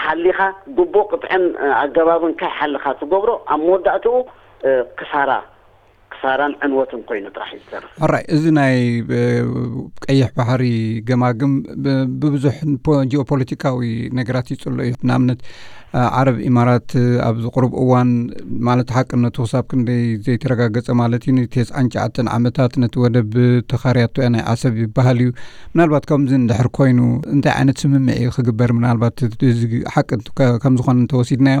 ሓሊኻ ግቡእ ቅጥዕን፣ እ፣ ኣገባብን ከይሓልኻ ትገብሮ ኣብ መወዳእትኡ፣ እ፣ ክሳራ፣ ክሳራን ዕንወትን ኮይኑ ጥራሕ እዩ ዝተርፍ። ሕራይ፣ እዚ ናይ፣ እ፣ ቀይሕ ባሕሪ ገማግም ብ-፣ ብብዙሕ ፖ-፣ ጂኦፖለቲካዊ ነገራት ይጽሎ እዩ። ንኣብነት፣ እ፣ ዓረብ ኢማራት፣ እ፣ ኣብዚ ቁሩብ እዋን፣ ማለት ሓቅነቱ ክሳብ ክንደይ ዘይተረጋገጸ ማለት እዩ፣ ንተስዓን ትሽዓተን ዓመታት ነቲ ወደብ ተኻርያቶ እያ ናይ ዓሰብ ይበሃል እዩ። ምናልባት ከምዚ እንድሕር ኮይኑ እንታይ ዓይነት ስምምዕ እዩ ክግበር? ምናልባት እዚ ሓቂ ከ-፣ ከም ዝኾነ እንተወሲድናዮ፣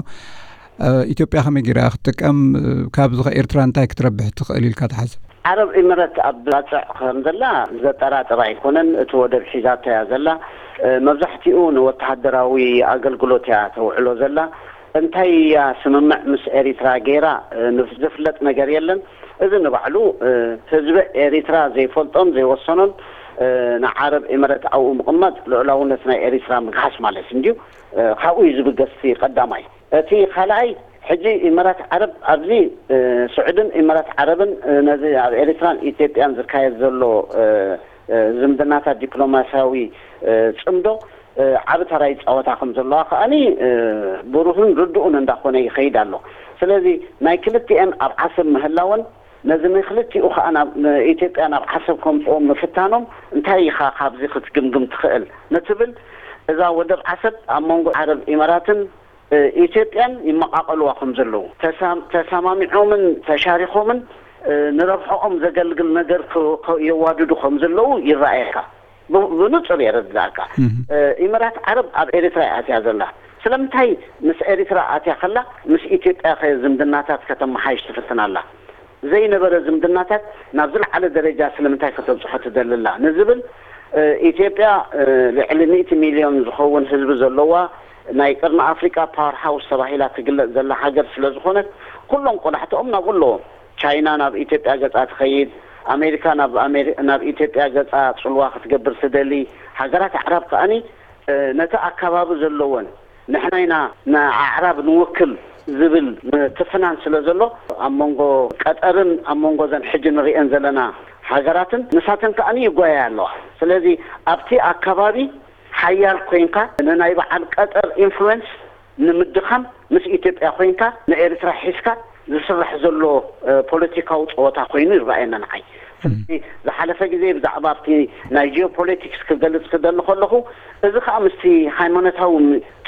እ፣ ኢትዮጵያ ከመይ ገይራ ክትጥቀም፣ እ፣ ካብዚ ከ ኤርትራ እንታይ ክትረብሕ ትኽእል ኢልካ ትሓስብ? ዓረብ ኢምረት ኣብ ባጽዕ ከም ዘላ ዘጠራጥር ኣይኮነን። እቲ ወደብ ሒዛቶ እያ ዘላ። እ፣ መብዛሕትኡ ንወተሃደራዊ ኣገልግሎት እያ ተውዕሎ ዘላ። እንታይ እያ ስምምዕ ምስ ኤሪትራ ገይራ፣ እ፣ ንፍ-፣ ዝፍለጥ ነገር የለን። እዚ ንባዕሉ፣ እ፣ ህዝቢ ኤሪትራ ዘይፈልጦን ዘይወሰኖን፣ እ፣ ንዓረብ ኢምረት ኣብኡ ምቕማጥ ልዑላውነት ናይ ኤሪትራ ምግሃስ ማለት እንድዩ። እ፣ ካብኡ እዩ ዝብገስ እቲ ቀዳማይ። እቲ ካልኣይ፣ ሕጂ ኢማራት ዓረብ ኣብዚ፣ እ፣ ስዑድን ኢማራት ዓረብን፣ እ፣ ነዚ ኣብ ኤሪትራን ኢትዮጵያን ዝካየድ ዘሎ፣ እ፣ እ፣ ዝምድናታት ዲፕሎማስያዊ፣ እ፣ ጽምዶ፣ እ፣ ዓቢ ተራ ይጻወታ ከም ዘለዋ ከኣኒ፣ እ፣ ብሩህን ርዱእን እንዳኾነ ይኸይድ ኣሎ። ስለዚ ናይ ክልቲኤን ኣብ ዓሰብ ምህላወን ነዚ ንክልቲኡ ከኣ ናብ፣ ንኢትዮጵያ ናብ ዓሰብ ከምጽኦም ምፍታኖም እንታይ ኢኻ ካብዚ ክትግምግም ትኽእል ንትብል፣ እዛ ወደብ ዓሰብ ኣብ መንጎ ዓረብ ኢማራትን እ፣ ኢትዮጵያን ይመቓቐልዋ ከም ዘለዉ፣ ተሳም-፣ ተሰማሚዖምን ተሻሪኾምን፣ እ፣ ንረብሕኦም ዘገልግል ነገር ክ-፣ ክ-፣ የዋድዱ ከም ዘለዉ ይረኣየካ። ብ-፣ ብንጹር የረድኣካ። እህ። እ፣ ኢማራት ዓረብ ኣብ ኤሪትራ እያ ኣትያ ዘላ። ስለምንታይ ምስ ኤሪትራ ኣትያ ከላ ምስ ኢትዮጵያ ከ ዝምድናታት ከተመሓይሽ ትፍትን ኣላ? ዘይነበረ ዝምድናታት ናብ ዝለዓለ ደረጃ ስለምንታይ ከተብጽሖ ትደሊ ኣላ ንዝብል፣ እ፣ ኢትዮጵያ፣ እ፣ ልዕሊ ሚእቲ ሚልዮን ዝኸውን ህዝቢ ዘለዋ ናይ ቀርኒ ኣፍሪቃ ፓወር ሃውስ ተባሂላ ትግለጽ ዘላ ሃገር ስለ ዝኾነት፣ ኩሎም ቆላሕትኦም ናብኡ ኣለዎም። ቻይና ናብ ኢትዮጵያ ገጻ ትኸይድ፣ ኣሜሪካ ናብ ኣሜሪ-፣ ናብ ኢትዮጵያ ገጻ ጽልዋ ክትገብር ትደሊ፣ ሃገራት ኣዕራብ ከኣኒ፣ እ፣ ነቲ ኣካባቢ ዘለወን ንሕና ኢና ንኣዕራብ ንውክል ዝብል ምትፍናን ስለ ዘሎ፣ ኣብ መንጎ ቀጠርን ኣብ መንጎ እዘን ሕጂ ንርእየን ዘለና ሃገራትን ንሳተን ከኣ ይጓያ ኣለዋ። ስለዚ ኣብቲ ኣካባቢ ሓያል ኮይንካ ንናይ በዓል ቀጠር ኢንፍሉዌንስ ንምድኻም ምስ ኢትዮጵያ ኮይንካ ንኤርትራ ሒዝካ ዝስራሕ ዘሎ ፖለቲካዊ ፀወታ ኮይኑ ይረኣየና ንዓይ። ስለዚ ዝሓለፈ ግዜ ብዛዕባ ኣብቲ ናይ ጂኦፖለቲክስ ክገልፅ ክደሊ ከለኹ፣ እዚ ከዓ ምስቲ ሃይማኖታዊ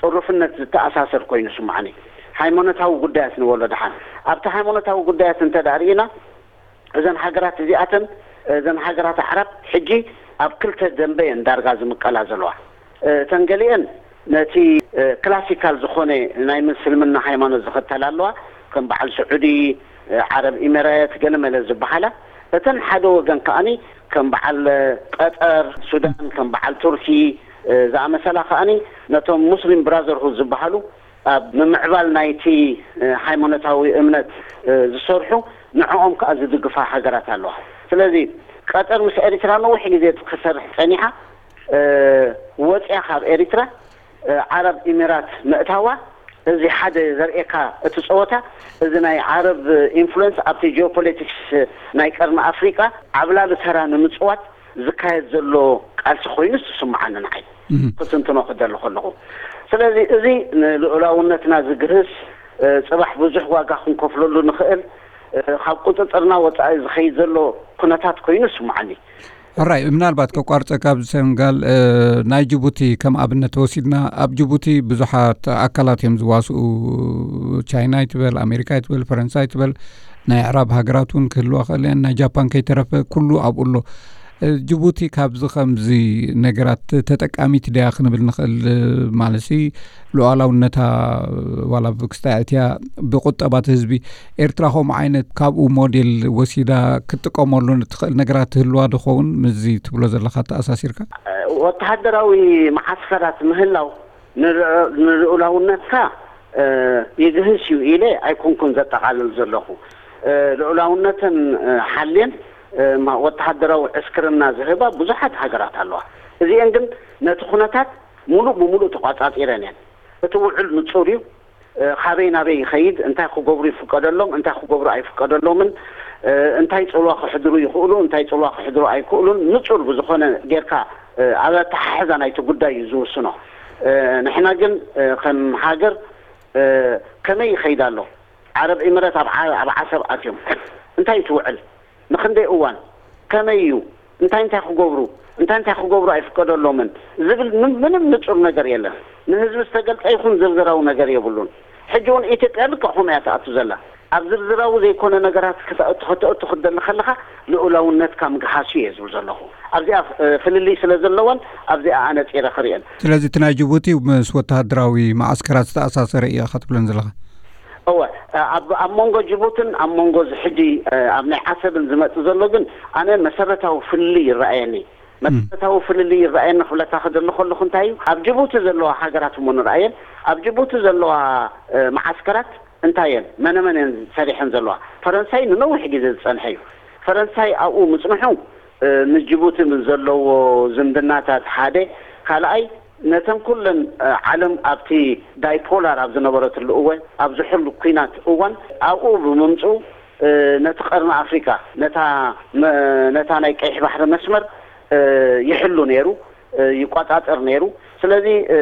ጥሩፍነት ዝተኣሳሰር ኮይኑ ስምዓኒ። ሃይማኖታዊ ጉዳያት ንበሎ ደሓን። ኣብቲ ሃይማኖታዊ ጉዳያት እንተ ደኣ ርኢና፣ እዘን ሃገራት እዚኣተን፣ እዘን ሃገራት ኣዕራብ ሕጂ ኣብ ክልተ ደንበ እየን ዳርጋ ዝምቀላ ዘለዋ። እተን ገሊአን ነቲ ክላሲካል ዝኾነ ናይ ምስልምና ሃይማኖት ዝኽተላ ኣለዋ፣ ከም በዓል ስዑዲ፣ ዓረብ ኢሚሬት፣ ገለመለ ዝበሃላ። እተን ሓደ ወገን ከኣኒ ከም በዓል ቀጠር፣ ሱዳን፣ ከም በዓል ቱርኪ ዝኣመሰላ ከኣኒ ነቶም ሙስሊም ብራዘርሁድ ዝበሃሉ ኣብ ምምዕባል ናይቲ ሃይማኖታዊ እምነት ዝሰርሑ ንዕኦም ከኣ ዝድግፋ ሃገራት ኣለዋ። ስለዚ ቀጠር ምስ ኤሪትራ ነዊሕ ግዜ ክትሰርሕ ጸኒሓ፣ ወጽያ ካብ ኤሪትራ ዓረብ ኢሚራት ምእታዋ፣ እዚ ሓደ ዘርእየካ እቲ ጸወታ፣ እዚ ናይ ዓረብ ኢንፍሉዌንስ ኣብቲ ጂኦፖለቲክስ ናይ ቀርኒ ኣፍሪቃ ዓብላሊ ተራ ንምጽዋት ዝካየድ ዘሎ ቃልሲ ኮይኑ ዝስምዓኒ ንዓይ ክትንትኖ ክደሊ ከለኹ። ስለዚ እዚ ንልኡላውነትና ዝግህስ፣ ጽባሕ ብዙሕ ዋጋ ክንከፍለሉ ንኽእል፣ ካብ ቁጽጽርና ወጻኢ ዝኸይድ ዘሎ ኩነታት ኮይኑ ይስምዓኒ። ሕራይ፣ ምናልባት ከቋርጸካ ኣብዚ ሰንጋል፣ ናይ ጅቡቲ ከም ኣብነት ወሲድና፣ ኣብ ጅቡቲ ብዙሓት ኣካላት እዮም ዝዋስኡ። ቻይና ይትበል፣ ኣሜሪካ ይትበል፣ ፈረንሳ ይትበል፣ ናይ ኣዕራብ ሃገራት እውን ክህልዋ ክእል እየን፣ ናይ ጃፓን ከይተረፈ ኩሉ ኣብኡ ኣሎ። ጅቡቲ ካብዚ ከምዚ ነገራት ተጠቃሚት ድያ ክንብል ንኽእል? ማለትሲ ሉዓላውነታ ዋላ ብክስታይ ኣእትያ ብቁጠባት ህዝቢ ኤርትራ ከምኡ ዓይነት ካብኡ ሞዴል ወሲዳ ክትጥቀመሉ እትኽእል ነገራት ትህልዋ ድኸውን? ምስዚ ትብሎ ዘለኻ ተኣሳሲርካ። ወተሃደራዊ መዓስከራት ምህላው ንልዑ-፣ ንልኡላውነትካ ይግህስ እዩ ኢለ ኣይኮንኩን ዘጠቓልል ዘለኹ። ልኡላውነተን ሓልየን ወተሃደራዊ ዕስክርና ዝህባ ብዙሓት ሃገራት ኣለዋ። እዚአን ግን ነቲ ኩነታት ሙሉእ ብሙሉእ ተቋጻጺረን እየን። እቲ ውዕል ንጹር እዩ። ካበይ ናበይ ይኸይድ፣ እንታይ ክገብሩ ይፍቀደሎም፣ እንታይ ክገብሩ ኣይፍቀደሎምን፣ እንታይ ጽልዋ ክሕድሩ ይኽእሉ፣ እንታይ ጽልዋ ክሕድሩ ኣይክእሉን ንጹር ብዝኾነ ጌርካ ኣብ ኣተሓሕዛ ናይቲ ጉዳይ እዩ ዝውስኖ። ንሕና ግን ከም ሃገር ከመይ ይኸይድ ኣሎ? ዓረብ ኢምረት ኣብ ዓ-፣ ኣብ ዓሰብ ኣትዮም እንታይ እዩ ትውዕል? ንኽንደይ እዋን? ከመይ እዩ? እንታይ እንታይ ክገብሩ? እንታይ እንታይ ክገብሩ ኣይፍቀደሎምን? ዝብል ምን-፣ ምንም ንጹር ነገር የለን። ንህዝቢ ዝተገልጸ ይኹን ዝርዝራዊ ነገር የብሉን። ሕጂ እውን ኢትዮጵያ ልክዕ ከምኡ እያ ትኣቱ ዘላ። ኣብ ዝርዝራዊ ዘይኮነ ነገራት ክተእቱ፣ ክተእቱ ክትደሊ ከለኻ ልኡላውነትካ ምግሃሱ እየ ዝብል ዘለኹ። ኣብዚኣ፣ እ፣ ፍልልይ ስለ ዘለወን ኣብዚኣ ኣነጺረ ክርእየን። ስለዚ እቲ ናይ ጅቡቲ ምስ ወተሃደራዊ መዓስከራት ዝተኣሳሰረ እዩ ኢኻ ትብለን ዘለኻ? እወ፣ ኣብ፣ ኣብ መንጎ ጅቡትን ኣብ መንጎ እዚ ሕጂ፣ እ፣ ኣብ ናይ ዓሰብን ዝመጽእ ዘሎ ግን ኣነ መሰረታዊ ፍልልይ ይረኣየኒ። መሰረታዊ ፍልልይ ይረኣየኒ ክብለካ ክደሊ ከለኹ እንታይ እዩ፣ ኣብ ጅቡቲ ዘለዋ ሃገራት እሞ ንረኣየን፣ ኣብ ጅቡቲ ዘለዋ፣ እ፣ መዓስከራት እንታይ እየን፣ መነ መን እየን ሰሪሐን ዘለዋ? ፈረንሳይ ንነዊሕ ግዜ ዝጸንሐ እዩ። ፈረንሳይ ኣብኡ ምጽንሑ፣ እ፣ ንጅቡቲ ምስ ዘለዎ ዝምድናታት ሓደ፣ ካልኣይ ነተን ኩለን፣ እ፣ ዓለም ኣብቲ ዳይፖላር ኣብ ዝነበረትሉ እዋን፣ ኣብ ዝሕሉ ኲናት እዋን ኣብኡ ብምምጽኡ፣ እ፣ ነቲ ቀርኒ ኣፍሪቃ፣ ነታ መ-፣ ነታ ናይ ቀይሕ ባሕሪ መስመር፣ እ፣ ይሕሉ ነይሩ፣ እ፣ ይቆጻጸር ነይሩ። ስለዚ፣ እ፣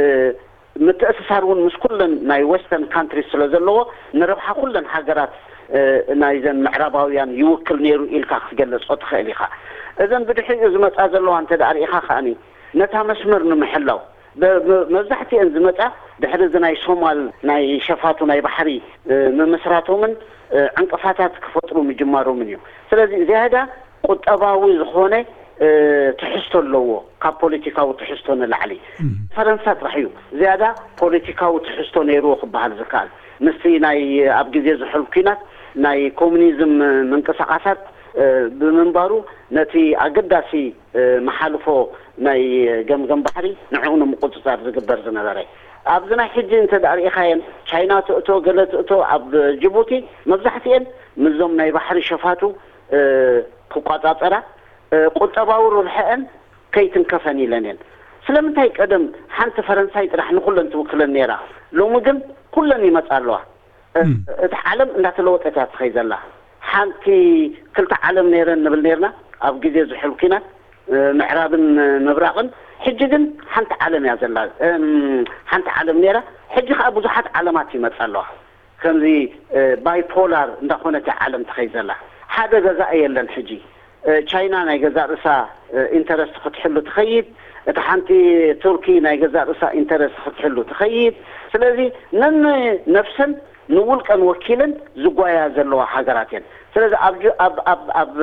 ምትእስሳር እውን ምስ ኩለን ናይ ዌስተርን ካንትሪስ ስለ ዘለዎ፣ ንረብሓ ኩለን ሃገራት፣ እ፣ ናይዘን ምዕራባውያን ይውክል ነይሩ ኢልካ ክትገልጾ ትኽእል ኢኻ። እዘን ብድሕሪኡ ዝመጻ ዘለዋ እንተ ደኣ ርኢኻ ከኣኒ፣ ነታ መስመር ንምሕላው፣ በ-፣ መ-፣ መብዛሕትኤን ዝመጻ ድሕሪ እዚ ናይ ሶማል ናይ ሸፋቱ ናይ ባሕሪ፣ እ፣ ምምስራቶምን፣ እ፣ ዕንቅፋታት ክፈጥሩ ምጅማሮምን እዩ። ስለዚ ዝያዳ ቁጠባዊ ዝኾነ፣ እ፣ ትሕዝቶ ኣለዎ ካብ ፖለቲካዊ ትሕዝቶ ንላዕሊ። እም። ፈረንሳ ጥራሕ እዩ ዝያዳ ፖለቲካዊ ትሕዝቶ ነይርዎ ክበሃል ዝከኣል። ምስቲ ናይ ኣብ ግዜ ዝሑል ኲናት ናይ ኮሙኒዝም ምንቅስቓሳት፣ እ፣ ብምንባሩ ነቲ ኣገዳሲ፣ እ፣ መሓልፎ ናይ ገምገም ባሕሪ ንዕኡ ንምቁጽጻር ዝግበር ዝነበረ። ኣብዚ ናይ ሕጂ እንተ ደኣ ርኢኻየን ቻይና ትእቶ፣ ገለ ትእቶ፣ ኣብ ጅቡቲ መብዛሕትኤን ምስዞም ናይ ባሕሪ ሸፋቱ፣ እ፣ ክቆጻጸራ፣ እ፣ ቁጠባዊ ርብሐአን ከይትንከፈን ኢለን እየን። ስለምንታይ ቀደም ሓንቲ ፈረንሳይ ጥራሕ ንኹለን ትውክለን ነይራ፣ ሎሚ ግን ኩለን ይመጻ ኣለዋ። እ፣ እም። እቲ ዓለም እንዳተለወጠት እያ ትኸይድ ዘላ። ሓንቲ ክልተ ዓለም ነይረን ንብል ነይርና ኣብ ግዜ ዝሑል ኲናት፣ እ፣ ምዕራብን ምብራቕን። ሕጂ ግን ሓንቲ ዓለም እያ ዘላ። እም፣ ሓንቲ ዓለም ነይራ፣ ሕጂ ከዓ ብዙሓት ዓለማት ይመፃ ኣለዋ። ከምዚ ባይፖላር እንዳኾነት ዓለም ትኸይ ዘላ፣ ሓደ ገዛእ የለን። ሕጂ ቻይና ናይ ገዛእ ርእሳ ኢንተረስት ክትሕሉ ትኸይድ፣ እቲ ሓንቲ ቱርኪ ናይ ገዛእ ርእሳ ኢንተረስት ክትሕሉ ትኸይድ። ስለዚ ነን ነፍሰን ንውልቀን ወኪለን ዝጓያ ዘለዋ ሃገራት እየን። ስለዚ ኣብ ጅ- ኣብ ኣብ ኣብ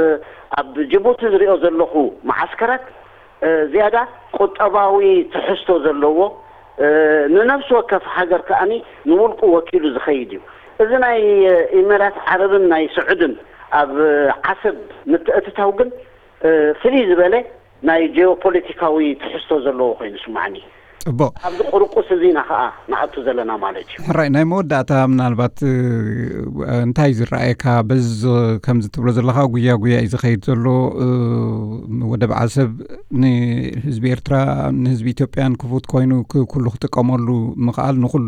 ኣብ ጅቡቲ ዝሪኦ ዘለኹ መዓስከራት ዝያዳ ቁጠባዊ ትሕዝቶ ዘለዎ፣ ንነፍሲ ወከፍ ሃገር ከኣኒ ንውልቁ ወኪሉ ዝኸይድ እዩ። እዚ ናይ ኢመራት ዓረብን ናይ ስዑድን ኣብ ዓሰብ ምትእትታው ግን ፍልይ ዝበለ ናይ ጂኦፖለቲካዊ ትሕዝቶ ዘለዎ ኮይኑ ይስማዓኒ። ጽቡቕ። ኣብዚ ቁርቁስ እዚ ኢና ኸኣ ንኣቱ ዘለና ማለት እዩ። ሕራይ፣ ናይ መወዳእታ ምናልባት እንታይ ዝረኣየካ? በዚ ከምዚ ትብሎ ዘለኻ ጉያ ጉያ እዩ ዝኸይድ ዘሎ። ወደብ ዓሰብ ንህዝቢ ኤርትራ፣ ንህዝቢ ኢትዮጵያን ክፉት ኮይኑ ኩሉ ክጥቀመሉ ምኽኣል ንኹሉ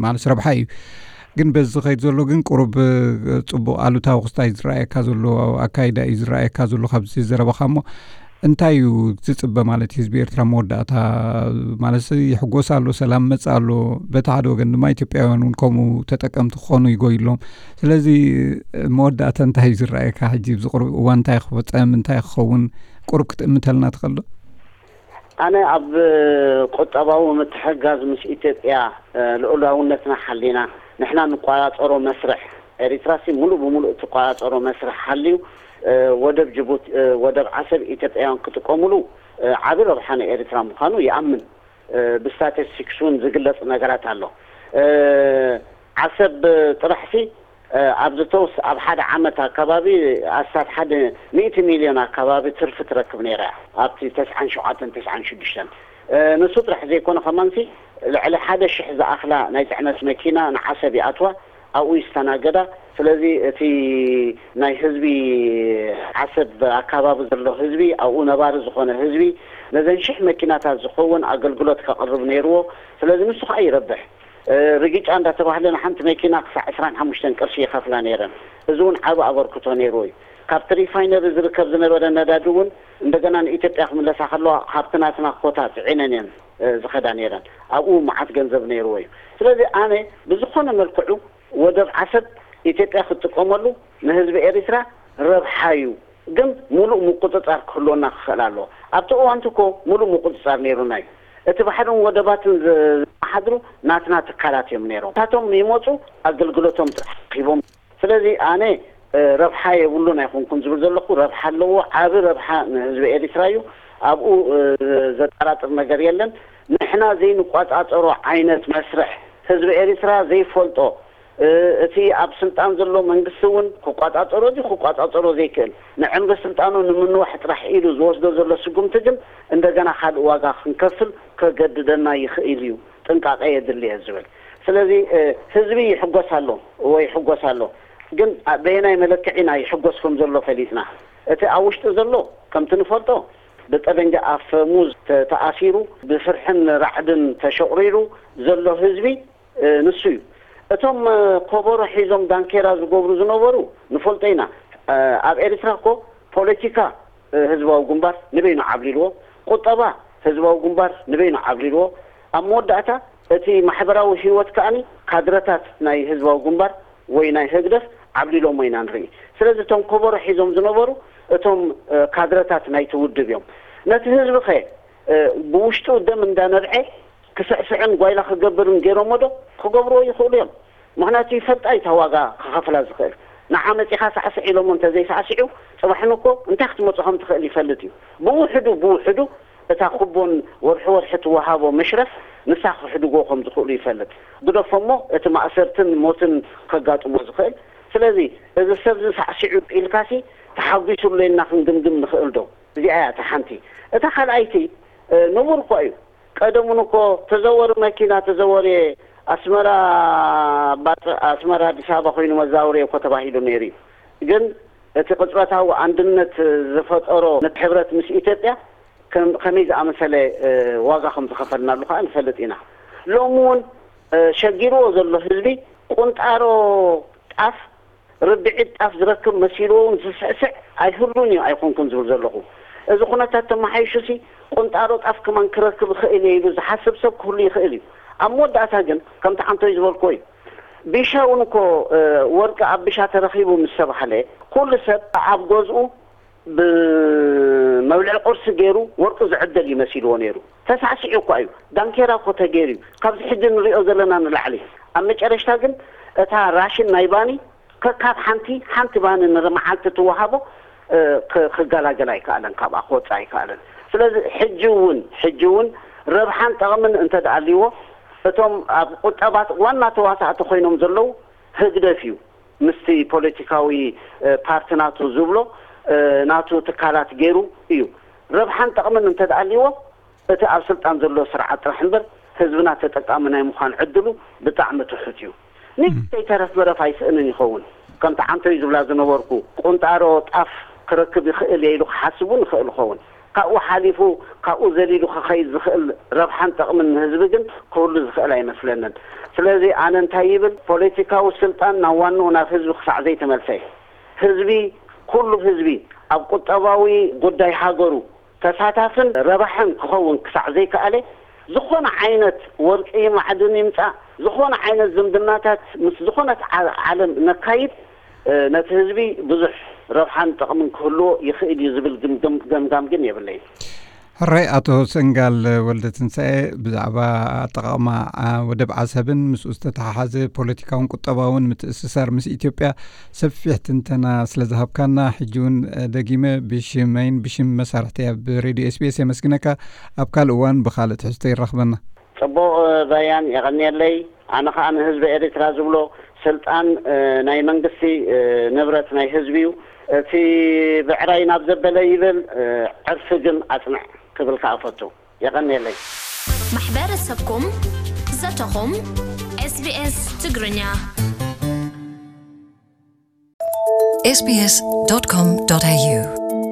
ማለት ረብሓ እዩ። ግን በዚ ዝኸይድ ዘሎ ግን ቁሩብ ጽቡቕ ኣሉታዊ ክስታይ ዝረኣየካ ዘሎ ኣካይዳ እዩ ዝረኣየካ ዘሎ ካብዚ ዘረባኻ። እሞ እንታይ እዩ ዝጽበ ማለት እዩ ህዝቢ ኤርትራ መወዳእታ? ማለት ይሕጎስ ኣሎ፣ ሰላም መጽእ ኣሎ። በቲ ሓደ ወገን ድማ ኢትዮጵያውያን እውን ከምኡ ተጠቀምቲ ክኾኑ ይጎይሎም። ስለዚ መወዳእታ እንታይ እዩ ዝረኣየካ? ሕጂ ኣብዚ ቁሩብ እዋን እንታይ ክፈጸም፣ እንታይ ክኸውን ቁሩብ ክትእምተልና ትኽእል ዶ? ኣነ ኣብ ቁጠባዊ ምትሕጋዝ ምስ ኢትዮጵያ ልኡላውነትና ሓሊና ንሕና ንቆጻጸሮ መስርሕ፣ ኤሪትራሲ ሙሉእ ብሙሉእ እትቆጻጸሮ መስርሕ ሓልዩ ወደብ ጅቡቲ፣ ወደብ ዓሰብ ኢትዮጵያውያን ክጥቀሙሉ ዓቢ ረብሓ ንኤሪትራ ምዃኑ ይኣምን። ብስታቲስቲክስ እውን ዝግለጽ ነገራት ኣሎ። ዓሰብ ጥራሕሲ ኣብዚ ተወስ ኣብ ሓደ ዓመት ኣካባቢ ኣስታት ሓደ ሚእቲ ሚልዮን ኣካባቢ ትርፊ ትረክብ ነይራ ኣብቲ ተስዓን ሸውዓተን ተስዓን ሽዱሽተን። ንሱ ጥራሕ ዘይኮነ ከማንሲ ልዕሊ ሓደ ሽሕ ዝኣኽላ ናይ ጽዕነት መኪና ንዓሰብ ይኣትዋ፣ ኣብኡ ይስተናገዳ። ስለዚ እቲ ናይ ህዝቢ ዓሰብ ኣካባቢ ዘሎ ህዝቢ፣ ኣብኡ ነባሪ ዝኾነ ህዝቢ ነዘን ሽሕ መኪናታት ዝኸውን ኣገልግሎት ከቕርብ ነይርዎ። ስለዚ ንሱ ከዓ ይረብሕ። ርግጫ እንዳተባህለ ንሓንቲ መኪና ክሳዕ ዕስራን ሓሙሽተን ቅርሺ ይኸፍላ ነይረን። እዚ እውን ዓቢ ኣበርክቶ ነይርዎ እዩ። ካብቲ ሪፋይነሪ ዝርከብ ዝነበረ ነዳዲ እውን እንደገና ንኢትዮጵያ ክምለሳ ከለዋ ካብቲ ናትና ኮታ ጽዒነን እየን ዝኸዳ ነይረን። ኣብኡ መዓት ገንዘብ ነይርዎ እዩ። ስለዚ ኣነ ብዝኾነ መልክዑ ወደብ ዓሰብ ኢትዮጵያ ክትጥቀመሉ ንህዝቢ ኤሪትራ ረብሓ እዩ። ግን ሙሉእ ምቁጽጻር ክህልወና ክኽእል ኣለዎ። ኣብቲ እዋንቲ እኮ ሙሉእ ምቁጽጻር ነይሩና እዩ። እቲ ባሕርን ወደባትን ዝ- ዝመሓድሩ ናትና ትካላት እዮም ነይሮም። እሳቶም ይመጹ፣ ኣገልግሎቶም ጥራሕ ረኺቦም። ስለዚ ኣነ ረብሓ የብሉን ኣይኮንኩን ዝብል ዘለኹ፣ ረብሓ ኣለዎ። ዓቢ ረብሓ ንህዝቢ ኤሪትራ እዩ። ኣብኡ ዘጠራጥር ነገር የለን። ንሕና ዘይንቋጻጸሮ ዓይነት መስርሕ፣ ህዝቢ ኤሪትራ ዘይፈልጦ፣ እቲ ኣብ ስልጣን ዘሎ መንግስቲ እውን ክቋጻጸሮ ድዩ ክቋጻጸሮ ዘይክእል፣ ንዕምሪ ስልጣኑ ንምንዋሕ ጥራሕ ኢሉ ዝወስዶ ዘሎ ስጉምቲ ግን እንደገና ካልእ ዋጋ ክንከፍል ከገድደና ይኽእል እዩ፣ ጥንቃቐ የድሊ እየ ዝብል። ስለዚ ህዝቢ ይሕጎስ ኣሎ ወይ ይሕጎስ ኣሎ፣ ግን በየናይ መለክዒ ናይ ይሕጎስ ከም ዘሎ ፈሊጥና። እቲ ኣብ ውሽጢ ዘሎ ከምቲ ንፈልጦ ብጠበንጃ ኣፈሙዝ ተኣሲሩ ብፍርሕን ራዕድን ተሸቑሪሩ ዘሎ ህዝቢ ንሱ እዩ። እቶም ኮቦሮ ሒዞም ዳንኬራ ዝገብሩ ዝነበሩ ንፈልጦ ኢና። ኣብ ኤርትራ እኮ ፖለቲካ ህዝባዊ ግንባር ንበይኑ ዓብሊልዎ፣ ቁጠባ ህዝባዊ ግንባር ንበይኑ ዓብሊልዎ። ኣብ መወዳእታ እቲ ማሕበራዊ ህይወት ከኣኒ ካድረታት ናይ ህዝባዊ ግንባር ወይ ናይ ህግደፍ ዓብሊሎሞ ኢና ንርኢ። ስለዚ እቶም ኮቦሮ ሒዞም ዝነበሩ እቶም ካድረታት ናይቲ ውድብ እዮም። ነቲ ህዝቢ ኸ ብውሽጡ ደም እንዳነብዐ ክስዕስዕን ጓይላ ክገብርን ገይሮሞ ዶ? ክገብርዎ ይኽእሉ እዮም። ምኽንያቱ ይፈልጣ እዩ እታ ዋጋ ክኸፍላ ዝኽእል። ንዓ መጺኻ ሳዕስዕ ኢሎሞ እንተዘይሳዕስዑ፣ ጽባሕን እኮ እንታይ ክትመጹ ከም ትኽእል ይፈልጥ እዩ። ብውሕዱ ብውሕዱ እታ ኩቦን ወርሒ ወርሒ ትወሃቦ መሽረፍ ንሳ ክሕድጎ ከም ዝኽእሉ ይፈልጥ። ግደፎ እሞ እቲ ማእሰርትን ሞትን ከጋጥሞ ዝኽእል። ስለዚ እዚ ሰብ እዚ ሳዕሲዑ ኢልካሲ ተሓጒሱሉ ኢልና ክንግምግም ንኽእል ዶ? እዚኣ እያ እታ ሓንቲ። እታ ካልኣይቲ ንቡር እኮ እዩ። ቀደሙን እኮ ተዘወሪ መኪና ተዘወሪ ኣስመራ ኣስመራ ኣዲስ ኣበባ ኮይኑ መዛወሪ እኮ ተባሂሉ ነይሩ እዩ። ግን እቲ ቅጽበታዊ ኣንድነት ዝፈጠሮ ነቲ ሕብረት ምስ ኢትዮጵያ ከመይ ዝኣመሰለ ዋጋ ከም ዝኸፈልናሉ ከዓ ንፈልጥ ኢና። ሎሚ እውን ሸጊርዎ ዘሎ ህዝቢ ቁንጣሮ ጣፍ ርብዒት ጣፍ ዝረክብ መሲልዎ እውን ዝስዕስዕ ኣይህሉን እዩ ኣይኮንኩን ዝብል ዘለኹ። እዚ ኩነታት ተመሓይሹሲ ቁንጣሮ ጣፍ ከማን ክረክብ እኽእል እየ ኢሉ ዝሓስብ ሰብ ክህሉ ይኽእል እዩ። ኣብ መወዳእታ ግን ከምቲ ዓንቶይ ዝበልክዎ እዩ። ቢሻ እውን እኮ ወርቂ ኣብ ቢሻ ተረኺቡ ምስ ተባህለ፣ ኩሉ ሰብ ኣብ ገዝኡ ብመብልዒ ቁርሲ ገይሩ ወርቂ ዝዕደል እዩ መሲልዎ ነይሩ። ተሳዕሲዑ እኳ እዩ። ዳንኬራ እኮ ተገይሩ እዩ፣ ካብዚ ሕጂ ንሪኦ ዘለና ንላዕሊ። ኣብ መጨረሽታ ግን እታ ራሽን ናይ ባኒ ከካብ ሓንቲ ሓንቲ ባኒ ንመዓልቲ ትወሃቦ ክገላገል ኣይከኣለን፣ ካብኣ ክወፅእ ኣይከኣለን። ስለዚ ሕጂ እውን ሕጂ እውን ረብሓን ጠቕምን እንተደኣልዎ፣ እቶም ኣብ ቁጠባት ዋና ተዋሳእቲ ኮይኖም ዘለዉ ህግደፍ እዩ። ምስቲ ፖለቲካዊ ፓርቲ ናቱ ዝብሎ ናቱ ትካላት ገይሩ እዩ። ረብሓን ጠቕምን እንተደኣልዎ፣ እቲ ኣብ ስልጣን ዘሎ ስርዓት ጥራሕ እምበር ህዝብና ተጠቃሚ ናይ ምዃን ዕድሉ ብጣዕሚ ትሑት እዩ። ንእሽተይ ተረፍ መረፍ ኣይስእንን ይኸውን። ከምቲ ዓንቶይ ዝብላ ዝነበርኩ፣ ቁንጣሮ ጣፍ ክረክብ ይኽእል እየ ኢሉ ክሓስብ እውን ይኽእል ይኸውን። ካብኡ ሓሊፉ ካብኡ ዘሊሉ ክኸይድ ዝኽእል ረብሓን ጠቕምን ንህዝቢ ግን ክህሉ ዝኽእል ኣይመስለንን። ስለዚ ኣነ እንታይ ይብል፣ ፖለቲካዊ ስልጣን ናብ ዋንኡ ናብ ህዝቢ ክሳዕ ዘይተመልሰ፣ ህዝቢ፣ ኩሉ ህዝቢ ኣብ ቁጠባዊ ጉዳይ ሃገሩ ተሳታፍን ረባሕን ክኸውን ክሳዕ ዘይከኣለ፣ ዝኾነ ዓይነት ወርቂ ማዕድን ይምጻእ፣ ዝኾነ ዓይነት ዝምድናታት ምስ ዝኾነት ዓ- ዓለም ነካይድ፣ ነቲ ህዝቢ ብዙሕ ረብሓን ጠቕምን ክህልዎ ይኽእል እዩ ዝብል ግምግም- ገምጋም ግን የብለይን። ሕራይ። ኣቶ ሰንጋል ወልደ ትንሳኤ፣ ብዛዕባ ኣጠቓቕማ ወደብ ዓሰብን ምስኡ ዝተተሓሓዘ ፖለቲካውን ቁጠባውን ምትእስሳር ምስ ኢትዮጵያ ሰፊሕ ትንተና ስለ ዝሃብካና፣ ሕጂ እውን ደጊመ ብሽመይን ብሽም መሳርሕቲ ኣብ ሬድዮ ኤስቢኤስ የመስግነካ። ኣብ ካልእ እዋን ብኻልእ ትሕዝቶ ይራኽበና። ጽቡቕ ባያን፣ የቐንየለይ። ኣነ ኸኣ ንህዝቢ ኤርትራ ዝብሎ፣ ስልጣን ናይ መንግስቲ ንብረት ናይ ህዝቢ እዩ። እቲ ብዕራይ ናብ ዘበለ ይብል፣ ዕርፊ ግን ኣጽንዕ ክብል ከኣ እፈቱ። የቐንየለይ። ማሕበረሰብኩም፣ ዘተኹም፣ ኤስቢኤስ ትግርኛ። sbs.com.au